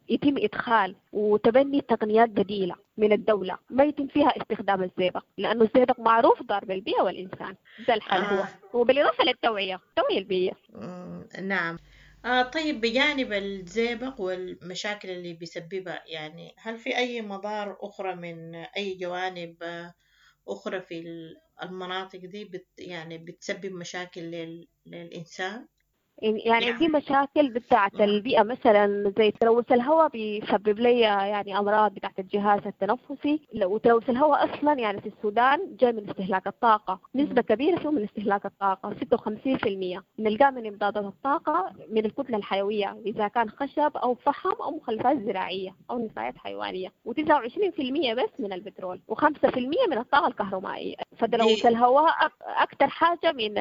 يتم إدخال وتبني تقنيات بديلة من الدولة ما يتم فيها استخدام الزئبق، لأنه الزئبق معروف ضار بالبيئة والإنسان. ده الحل هو، آه. وبالإضافة للتوعية، التوعية البيئية. مم، نعم. آه طيب بجانب الزئبق والمشاكل اللي بيسببها، يعني هل في أي مضار أخرى من أي جوانب آه، أخرى في ال- المناطق دي بت يعني بتسبب مشاكل لل للإنسان؟ يعني عندي مشاكل بتاعة البيئة، مثلا زي تلوث الهواء بيسبب لي يعني أمراض بتاعة الجهاز التنفسي. وتلوث الهواء أصلا يعني في السودان جاي من استهلاك الطاقة، نسبة كبيرة فيه من استهلاك الطاقة ستة وخمسين بالمية نلقاه من إمدادات الطاقة من الكتلة الحيوية إذا كان خشب أو فحم أو مخلفات زراعية أو نفايات حيوانية، وتسعة وعشرين بالمية بس من البترول، وخمسة بالمية من الطاقة الكهربائية. فتلوث الهواء أكثر حاجة من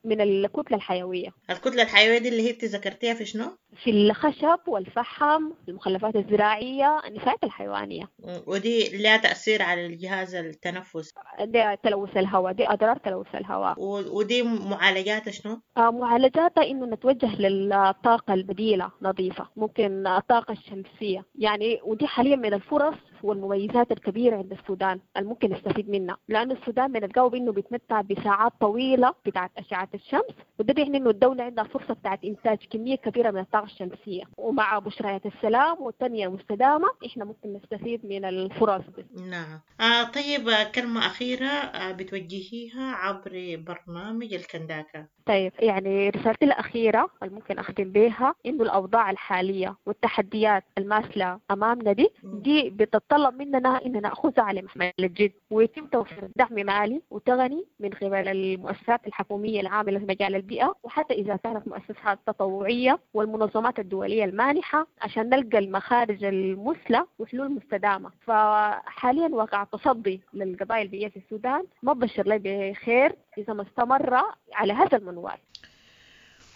من الكتلة الحيوية. الكتلة الحيوية دي اللي هي ذكرتيها في شنو؟ في الخشب والفحم، المخلفات الزراعية، النفايات الحيوانية. ودي لها تأثير على الجهاز التنفس. ده تلوث الهواء، دي أضرار تلوث الهواء. ودي معالجاتها شنو؟ آه معالجاتها إنه نتوجه للطاقة البديلة نظيفة، ممكن الطاقة الشمسية يعني، ودي حاليا من الفرص والمميزات الكبيرة عند السودان الممكن نستفيد منها، لأن السودان بنلقاه بإنه بيتمتع بساعات طويلة بتاعت أشعة الشمس، وده بيعني إنه الدولة عندها فرصة بتاعت إنتاج كمية كبيرة من الطاقة الشمسية، ومع بشريات السلام والتنمية المستدامة إحنا ممكن نستفيد من الفرص دي. نعم. آه طيب، كلمة أخيرة بتوجهيها عبر برنامج الكنداكا. طيب، يعني رسالتي الأخيرة اللي ممكن أختم بها إنه الأوضاع الحالية والتحديات الماثلة أمامنا دي دي بتتطلب مننا إن نأخذها على محمل الجد، ويتم توفير دعم مالي وتقني من قبل المؤسسات الحكومية العاملة في مجال البيئة، وحتى إذا كانت مؤسسات تطوعية والمنظمات الدولية المانحة، عشان نلقى المخارج المثلى وحلول مستدامة. فحاليا واقع التصدي للقضايا البيئية في السودان ما بشر لي بخير إذا ما استمر على هذا المنوال.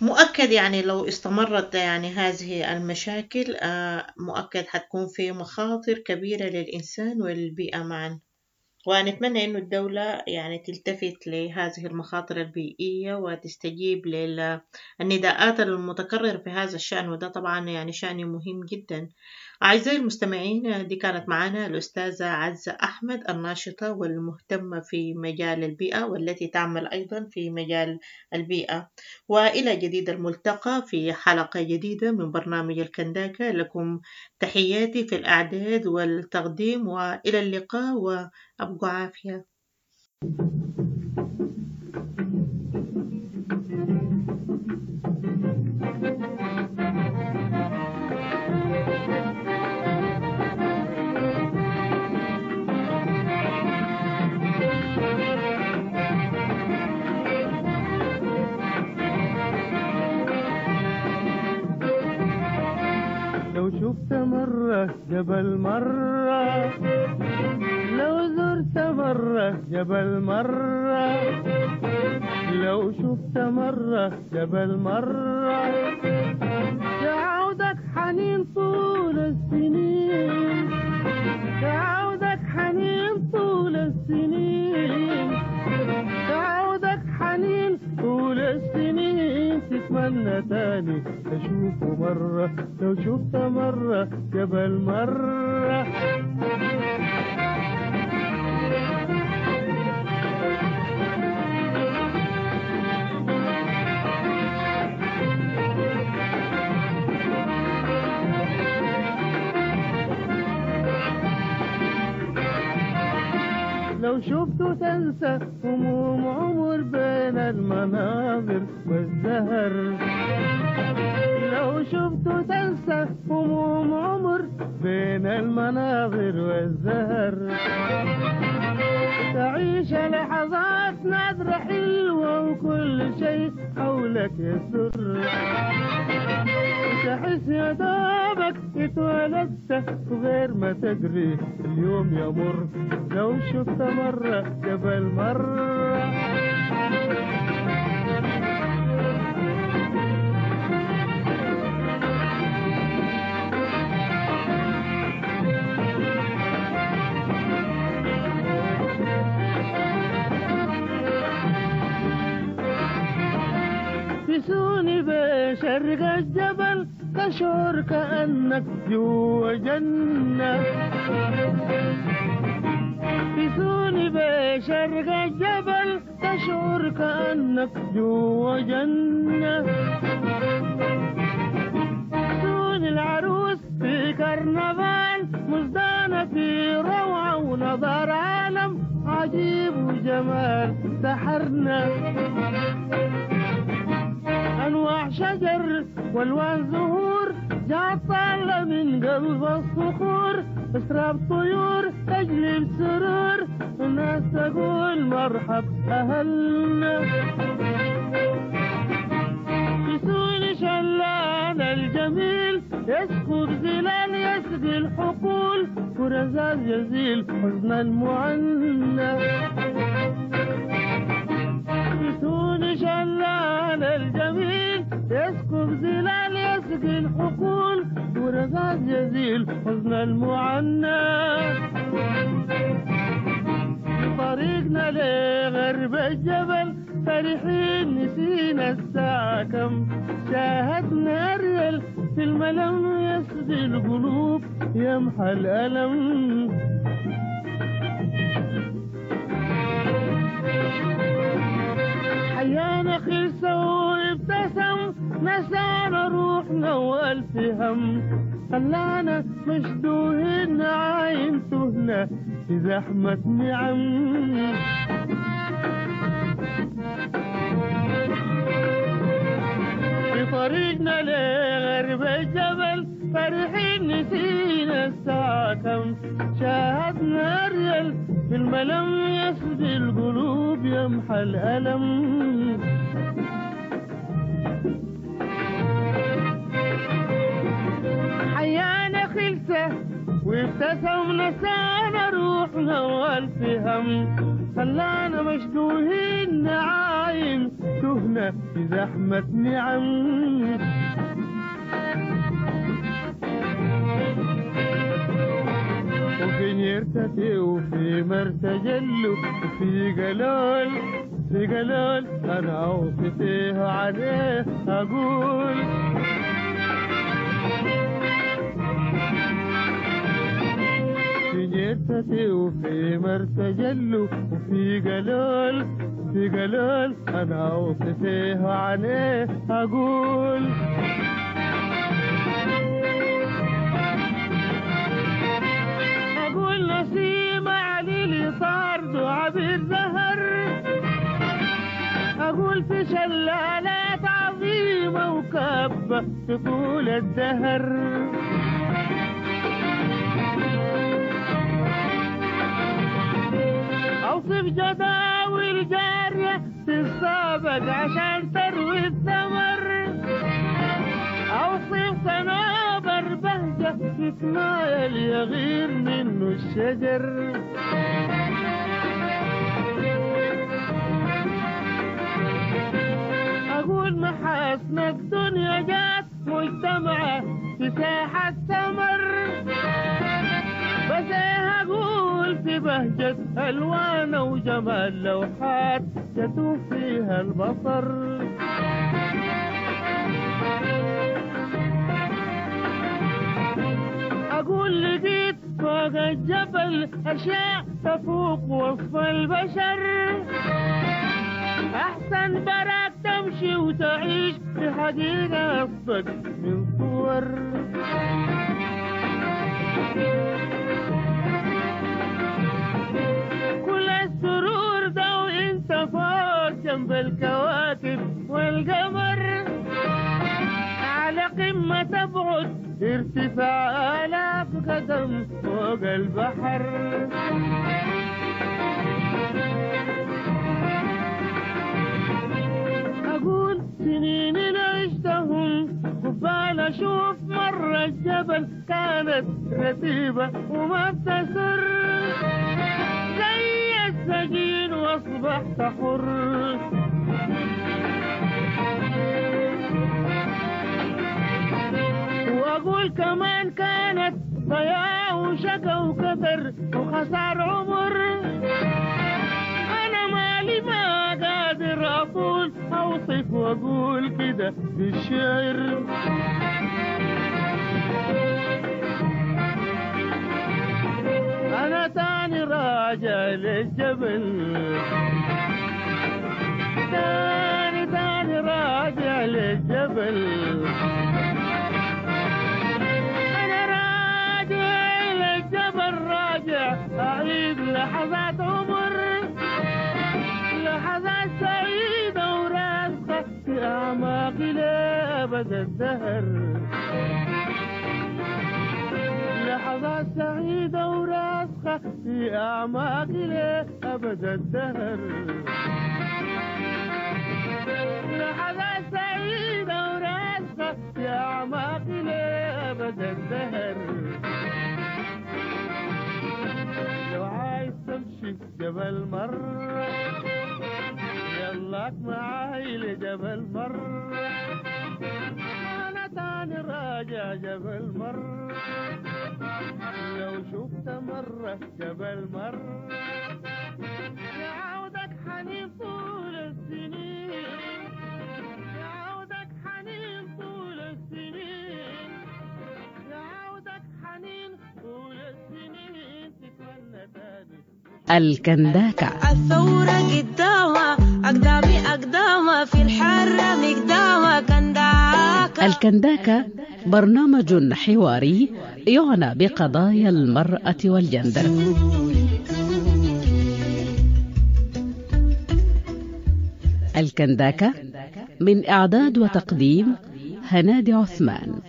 مؤكد يعني لو استمرت يعني هذه المشاكل مؤكد حتكون في مخاطر كبيرة للإنسان والبيئة معا، ونتمنى إنه الدولة يعني تلتفت لهذه المخاطر البيئية وتستجيب للنداءات المتكررة في هذا الشأن، وده طبعا يعني شأن مهم جدا. أعزائي المستمعين، دي كانت معنا الأستاذة عزة أحمد، الناشطة والمهتمة في مجال البيئة والتي تعمل أيضا في مجال البيئة. وإلى جديد الملتقى في حلقة جديدة من برنامج الكنداكا. لكم تحياتي في الأعداد والتقديم، وإلى اللقاء وأبقوا عافية. لو شفت مرة جبل مرة، لو زرت مرة جبل مرة، لو شفت مرة جبل مرة، يعودك حنين طول السنين، يعودك حنين طول السنين، يعودك حنين طول السنين، تتمنى تاني تشوفه مرة، لو شفت مرة جبل مرة. لو شفته تنسى هموم عمر بين المناظر والزهر، لو شفته تنسى هموم عمر بين المناظر والزهر، تعيش لحظات نادرة حلوة وكل شيء حولك يسر، تحس يا دوبك اتولدت وغير ما تدري اليوم يمر، لو شفت مرة جبل مرة. تسوني بشرق الجبل تشعر كأنك جوا جنة، تسوني بشرق الجبل تشعر كأنك جوا جنة، سوني العروس في كرنفال مزدانة في روعة ونظر عالم عجيب وجمال سحرنا. أنواع شجر والوان زهور جات طالة من قلب الصخور، أسراب طيور تجلب سرور، الناس تقول مرحب أهلنا. يسوني شلال الجميل يسكب زلال يسقي الحقول، ورزاز يزيل حزن المعنى. يسوني شلال الجميل يسكب زلال يسقي الحقول، ورزاز يزيل حزن المعنى. طريقنا لغرب الجبل فرحين نسينا الساعة كم، شاهدنا الريل في الملم يسدي القلوب يمحى الألم. حيانا خلصة وابتسم نسانا روحنا والف هم، خلانا مشدوهين عاين تهنا في زحمة نعم. في طريقنا لغرب الجبل فرحين نسينا الساعة كم، شاهدنا الريل في الملم يسدي القلوب يمحى الألم. حيانا خلسة وابتسم نسانا روحنا والف هم، خلانا مشدوهين نعاين تهنا في زحمة نعم. وفي نيرتتي وفي مرتجل وفي قلول في قلول أنا أوصفيه عليه أقول. في جتتي وفي مرتجل وفي قلول في قلول أنا أوصفيه عليه أقول. أقول نسيم علي طارد وعبير زهر، أقول في شلالات عظيمة وكبة في طول الدهر. أوصف جداول جارية تتسابق عشان تروي الثمر، أوصف صنوبر بهجة تتمايل يغير منه الشجر. أقول محاسن الدنيا جات مجتمعة في ساحة ثمر، بس إيه أقول في بهجة ألوان وجمال لوحات يتوه فيها البصر. أقول لقيت فوق الجبل أشياء تفوق وصف البشر، أحسن براك تمشي وتعيش في حقيقة أصدق من صور. كل السرور ده وانت فوق جنب الكواكب والقمر، على قمة تبعد ارتفاع آلاف قدم فوق البحر. أقول سنين اللي عشتهم قبال أشوف مرة الجبل كانت رتيبة وما بتسر، زي السجين وأصبحت حر. وأقول كمان كانت ضياع وشقا وكدر وخسار عمر، أنا مالي ما قادر أقول أوصف وأقول كده بالشعر. أنا تاني راجع للجبل، تاني تاني راجع للجبل، أنا راجع للجبل راجع أعيد لحظات عمر، لحظات سعيدة وراسخة في في أعماقي لأبد الدهر. لحظات سعيدة وراسخة في أعماقي لأبد الدهر. لحظات سعيدة وراسخة في أعماقي لأبد الدهر. لو عايز تمشي جبل مرة يلاك معاي لجبل مرة، أنا تاني راجع جبل مرة. لو شفت مرة جبل مرة يعودك حنين طول السنين، يعودك حنين طول السنين، يعودك حنين طول السنين، تتمنى تاني. الكنداكة. الثورة قدامها أقدامي أقدامها في الحرة مقدامها كنداكة. الكنداكة برنامج حواري يعنى بقضايا المرأة والجندر. الكنداكة من إعداد وتقديم هنادي عثمان.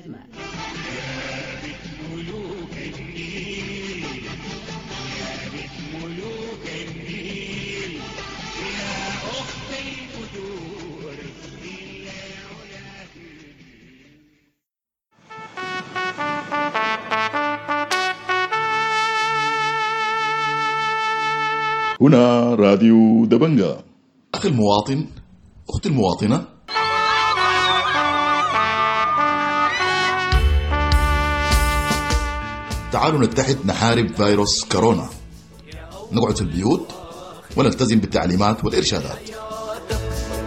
هنا راديو دبنجا. أخي المواطن، أختي المواطنة، تعالوا نتحد نحارب فيروس كورونا. نقعد في البيوت ونلتزم بالتعليمات والإرشادات.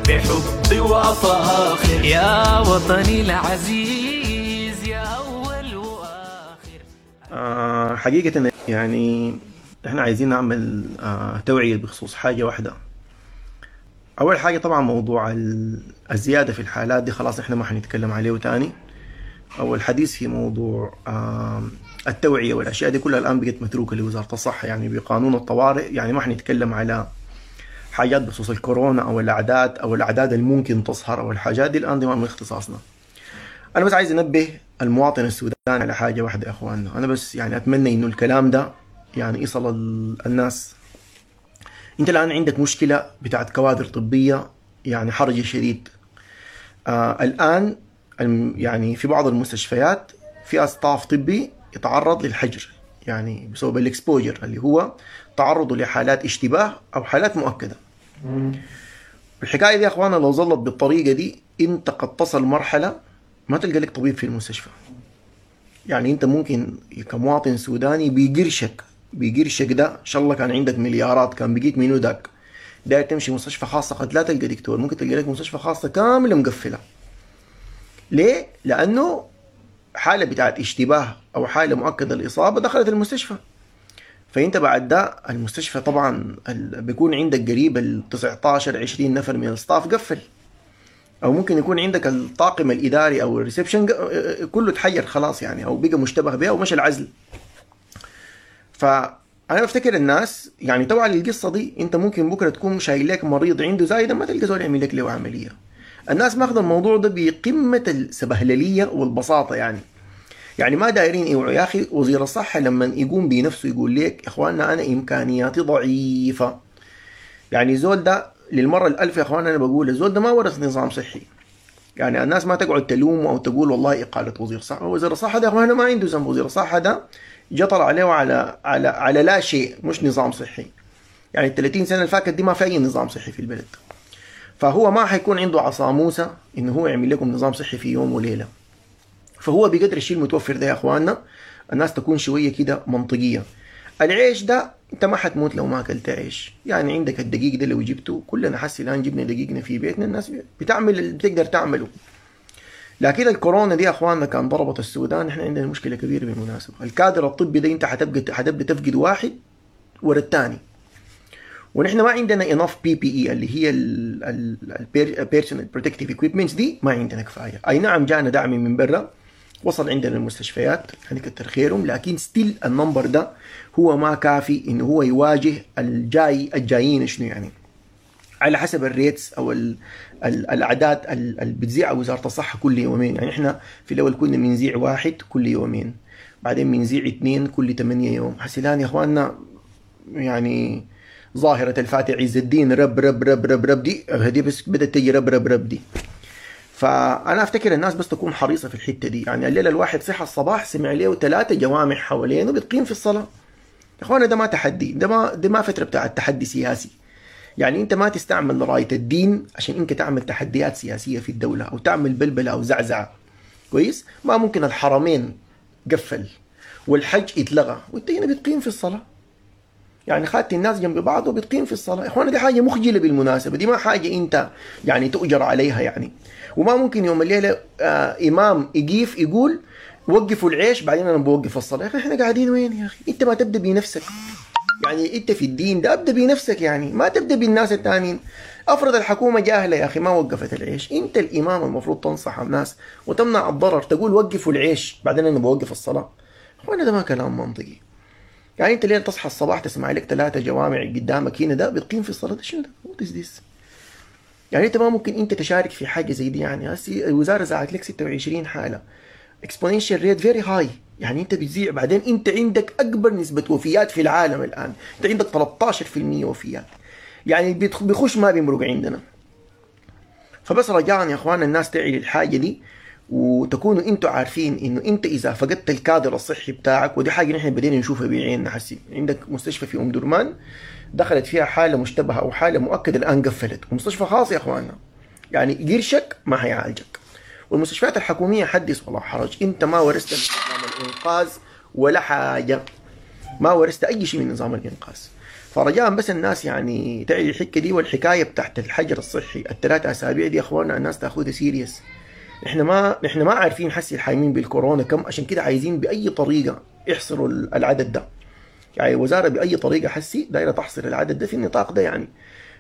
بحب وفاخر يا وطني العزيز يا أول وآخر. آه حقيقة يعني احنا عايزين نعمل آه توعية بخصوص حاجة واحدة. أول حاجة طبعا موضوع الزيادة في الحالات دي خلاص احنا ما حنتكلم عليه تاني، أو الحديث في موضوع آه التوعية والأشياء دي كلها الآن بقت متروكة لوزارة الصحة، يعني بقانون الطوارئ. يعني ما حنتكلم على حاجات بخصوص الكورونا أو الأعداد أو الأعداد الممكن تظهر أو الحاجات دي الآن دي ما من اختصاصنا. أنا بس عايز أنبه المواطن السوداني على حاجة واحدة يا أخواننا. أنا بس يعني أتمنى إنه الكلام ده يعني يصل الناس. انت الان عندك مشكلة بتاعت كوادر طبية يعني حرج شديد. آه الان يعني في بعض المستشفيات في staff طبي يتعرض للحجر، يعني بسبب ال exposure اللي هو تعرضه لحالات اشتباه او حالات مؤكدة. الحكاية دي يا اخوانا لو ظلت بالطريقة دي انت قد تصل مرحلة ما تلقى لك طبيب في المستشفى. يعني انت ممكن كمواطن سوداني بيقرشك بيقرشك ده ان شاء الله كان عندك مليارات كان بقيت منو داك داير تمشي مستشفى خاصة قد لا تلقى دكتور، ممكن تلقى لك مستشفى خاصة كاملة مقفلة. ليه؟ لانه حاله بتاعت اشتباه او حاله مؤكدة الاصابة دخلت المستشفى. فانت بعد ده المستشفى طبعا بيكون عندك قريب ال تسعتاشر عشرين نفر من ال staff قفل، او ممكن يكون عندك الطاقم الاداري او ال reception كله تحير خلاص يعني، او بقى مشتبه به او مشى العزل. فانا بفتكر الناس يعني توعى للقصة دي. انت ممكن بكره تكون شايل لك مريض عنده زايدة ما تلقى زول يعمل لك له عملية. الناس ماخذه الموضوع ده بقمة السبهلليه والبساطه، يعني يعني ما دايرين يوعوا. يا اخي وزير الصحة لما يقوم بنفسه يقول لك يا اخواننا انا امكانياتي ضعيفة، يعني زول ده للمرة الألف يا اخوان انا بقول الزول ده ما ورث نظام صحي. يعني الناس ما تقعد تلومه او تقول والله اقاله وزير الصحة، وزير الصحة ده يا اخوان ما عنده ذنب. وزير الصحة ده جطر عليه على على على لا شيء، مش نظام صحي. يعني ال ثلاثين سنة اللي فاتت دي ما في اي نظام صحي في البلد، فهو ما حيكون عنده عصا موسى انه هو يعمل لكم نظام صحي في يوم وليلة. فهو بقدر الشيء المتوفر ده يا اخواننا الناس تكون شوية كده منطقية. العيش ده انت ما حتموت لو ما اكلت عيش، يعني عندك الدقيق ده لو جبته كلنا حسي الان جبنا دقيقنا في بيتنا، الناس بتعمل اللي بتقدر تعمله. لكن الكورونا دي يا اخواننا كان ضربت السودان، احنا عندنا مشكلة كبيرة بالمناسبة. الكادر الطبي ده انت حتبقى حتبدا تفقد واحد ورا الثاني، ونحن ما عندنا enough PPE اللي هي ال personal protective equipments دي ما عندنا كفاية. اي نعم جانا دعم من برا وصل عندنا المستشفيات يعني كتر خيرهم، لكن still ال number ده هو ما كافي انه هو يواجه الجاي الجايين شنو يعني. على حسب ال rates او ال ال الاعداد اللي بتذيعها وزارة الصحة كل يومين. يعني احنا في الاول كنا بنذيع واحد كل يومين، بعدين بنذيع اثنين كل ثمانية يوم. هسه الان يا اخواننا يعني ظاهره الفاتح عز الدين رب رب رب رب رب دي هدي بس بدات تجي رب رب رب دي. فانا افتكر الناس بس تكون حريصة في الحتة دي. يعني الليلة الواحد صحى الصباح سمع له ثلاثة جوامع حوالينه بتقيم في الصلاة. يا اخوانا ده ما تحدي، ده ما ده ما فترة بتاع تحدي سياسي. يعني انت ما تستعمل رايه الدين عشان انت تعمل تحديات سياسية في الدولة او تعمل بلبلة او زعزعة. كويس؟ ما ممكن الحرمين قفل والحج اتلغى وانت هنا بتقيم في الصلاة. يعني خدت الناس جنب بعض وبتقيم في الصلاة. يا اخوانا دي حاجة مخجله بالمناسبة، دي ما حاجة انت يعني تؤجر عليها يعني. وما ممكن يوم الليلة آه امام يقيف يقول وقفوا العيش بعدين انا بوقف الصلاة. يا اخي احنا قاعدين وين يا اخي؟ انت ما تبدا بنفسك. يعني انت في الدين ده ابدا بنفسك، يعني ما تبدا بالناس الثانيين. افرض الحكومة جاهله يا اخي ما وقفت العيش، انت الامام المفروض تنصح الناس وتمنع الضرر، تقول وقفوا العيش بعدين انا بوقف الصلاة. اخوانا ده ما كلام منطقي. يعني انت ليه تصحى الصباح تسمع لك ثلاثة جوامع قدامك هنا ده بتقيم في الصلاة؟ ده شنو ده؟ what is this؟ يعني انت ما ممكن انت تشارك في حاجة زي دي. يعني هسي الوزارة زعت لك ستة وعشرين حاله، exponential rate very high. يعني انت بتذيع، بعدين انت عندك اكبر نسبه وفيات في العالم الان، انت عندك ثلاثة عشر بالمية وفيات. يعني بيخش ما بيمرق عندنا. فبس رجاء يا اخوان الناس تعي الحاجة دي، وتكونوا انتوا عارفين انه انت اذا فقدت الكادر الصحي بتاعك، ودي حاجة نحن بدينا نشوفها بعيننا. حسي عندك مستشفى في ام درمان دخلت فيها حاله مشتبهة او حاله مؤكدة الان قفلت، ومستشفى خاص يا اخواننا، يعني قرشك ما حيعالجك. والمستشفيات الحكومية حدث ولا حرج، انت ما ورثت من نظام الانقاذ ولا حاجة، ما ورثت اي شيء من نظام الانقاذ. فرجاء بس الناس يعني تعي الحكة دي، والحكاية بتاعت الحجر الصحي الثلاث اسابيع دي يا اخواننا الناس تاخذها serious. احنا ما احنا ما عارفين حسي الحايمين بالكورونا كم، عشان كده عايزين باي طريقه يحصروا العدد ده. يعني الوزارة باي طريقه حسي دايرة تحصر العدد ده في النطاق ده يعني.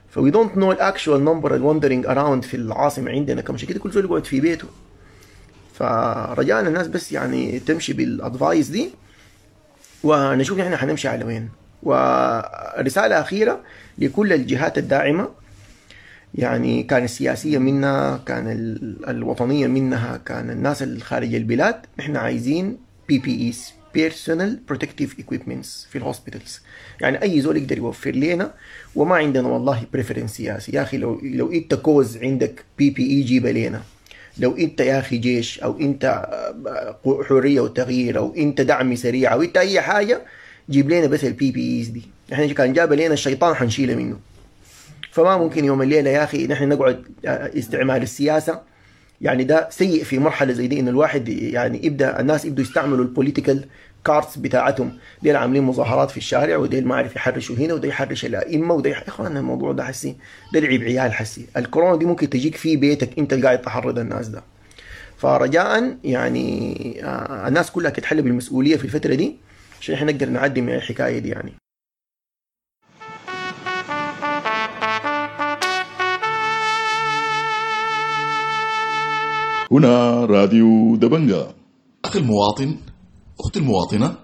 ف we don't know ال actual number ال wandering around في العاصمة عندنا كم، عشان كده كل زول يقعد في بيته. فرجاء الناس بس يعني تمشي بال advice دي، ونشوف نحن حنمشي على وين. ورسالة اخيرة لكل الجهات الداعمة، يعني كان السياسية منها، كان الوطنية منها، كان الناس الخارج البلاد، نحن عايزين PPEs Personal Protective Equipments في ال hospitals. يعني أي زول يقدر يوفر لنا، وما عندنا والله preference سياسي يا أخي. لو لو أنت كوز عندك PPE جيبه لنا، لو أنت يا أخي جيش أو أنت حرية وتغيير أو أنت دعم سريع أو أنت أي حاجة، جيب لنا بس ال PPEs دي. نحن كان جاب لنا الشيطان حنشيله منه. فما ممكن يوم الليلة يا أخي نحن نقعد استعمال السياسة، يعني ده سيء في مرحلة زي دي، إن الواحد يعني يبدأ الناس يبدوا يستعملوا ال political cards بتاعتهم، ديل عاملين مظاهرات في الشارع، وديل ما عارف يحرشوا هنا، وده يحرش الأئمة، وده يح... يا إخوان الموضوع ده حسي ده لعب عيال حسي. الكورونا دي ممكن تجيك في بيتك أنت اللي قاعد تحرض الناس ده. فرجاء يعني الناس كلها تتحلى بالمسؤولية في الفترة دي عشان احنا نقدر نعدي من الحكاية دي يعني. هنا راديو دبنجا. أخي المواطن، أختي المواطنة،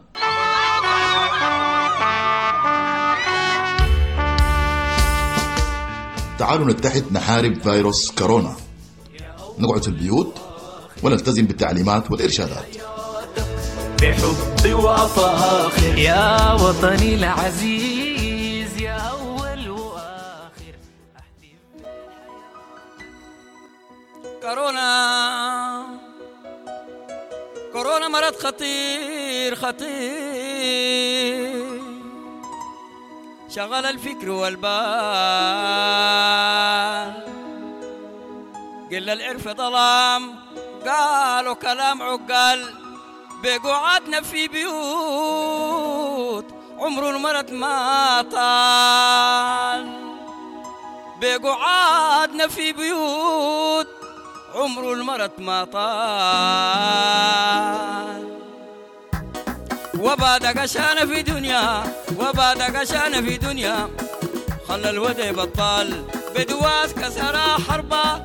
تعالوا نتحد نحارب فيروس كورونا، نقعد في البيوت ونلتزم بالتعليمات والإرشادات. بحب وفاخر يا وطني العزيز، يا أول وآخر. كورونا كورونا مرض خطير خطير، شغل الفكر والبال، قل العرف ظلام، قالوا كلام عقال، بقعدنا في بيوت عمر المرض ما طال، بقعدنا في بيوت عمر المرض ما طال، وبعد قشانة في دنيا، وبعد قشانة في دنيا، خلى الودع بطال، بدواس كسر حربة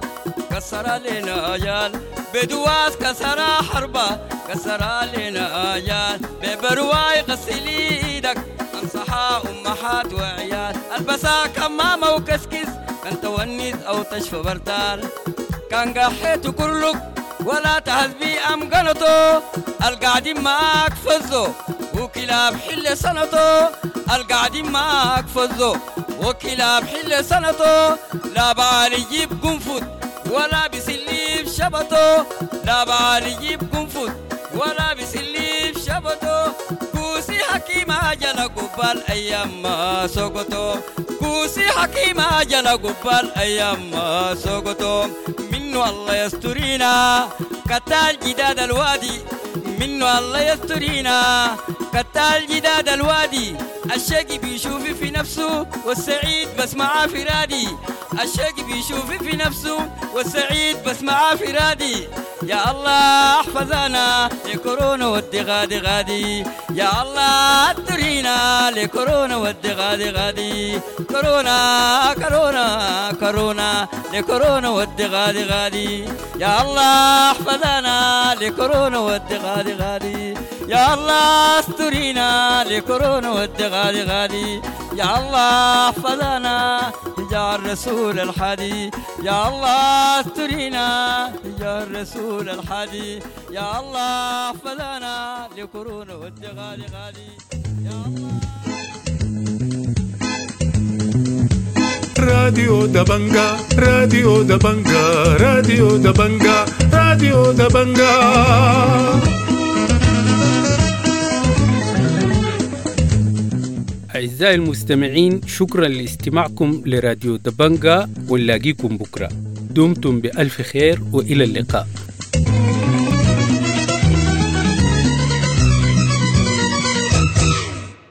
كسر لنا أجال، بدواس كسر حربة كسر لنا أجال، ببرواي غسل ايدك انصحها امهات وعيال، البسها كمامة وكسكس كنت أو تشفى برتال. كان قحيت كلك ولا تهذبي أم قنطو، القاعدين معاك فزو وكلاب حل سنتو، القاعدين معاك فزو وكلاب حل سنتو. لا بعالي يجيب قنفذ ولا بسليب شبطو، لا بعالي يجيب قنفذ ولا بسليب شبطو. كوسي حكيم عجل قبال أيام ما سقطو، كوسي حكيم عجل قبال أيام ما سقطو. منه الله يسترينا كتال جداد الوادي، منه الله يسترينا كتال جداد الوادي. الشقي بيشوف في نفسه والسعيد بس معاه فرادي، الشقي بيشوف في نفسه والسعيد بس معاه فرادي. يا الله احفظنا لكورونا ودي غادي غادي، يا الله ادرينا لكورونا ودي غادي غادي. كورونا كورونا كورونا لكورونا ودي غادي غادي، يا الله احفظنا لكورونا ودي غادي غادي، يا الله استرينا لكورونا ودي غادي غادي. يا الله احفظنا يا الرسول الحادي، يا الله استرينا يا الرسول الحادي، يا الله احفظنا لكورونا ودي غادي غادي. يا الله. راديو دبنجا، راديو دبنجا، راديو دبنجا، راديو دبنجا. أعزائي المستمعين، شكرا لاستماعكم لراديو دبنجا، ونلاقيكم بكرة. دمتم بألف خير وإلى اللقاء.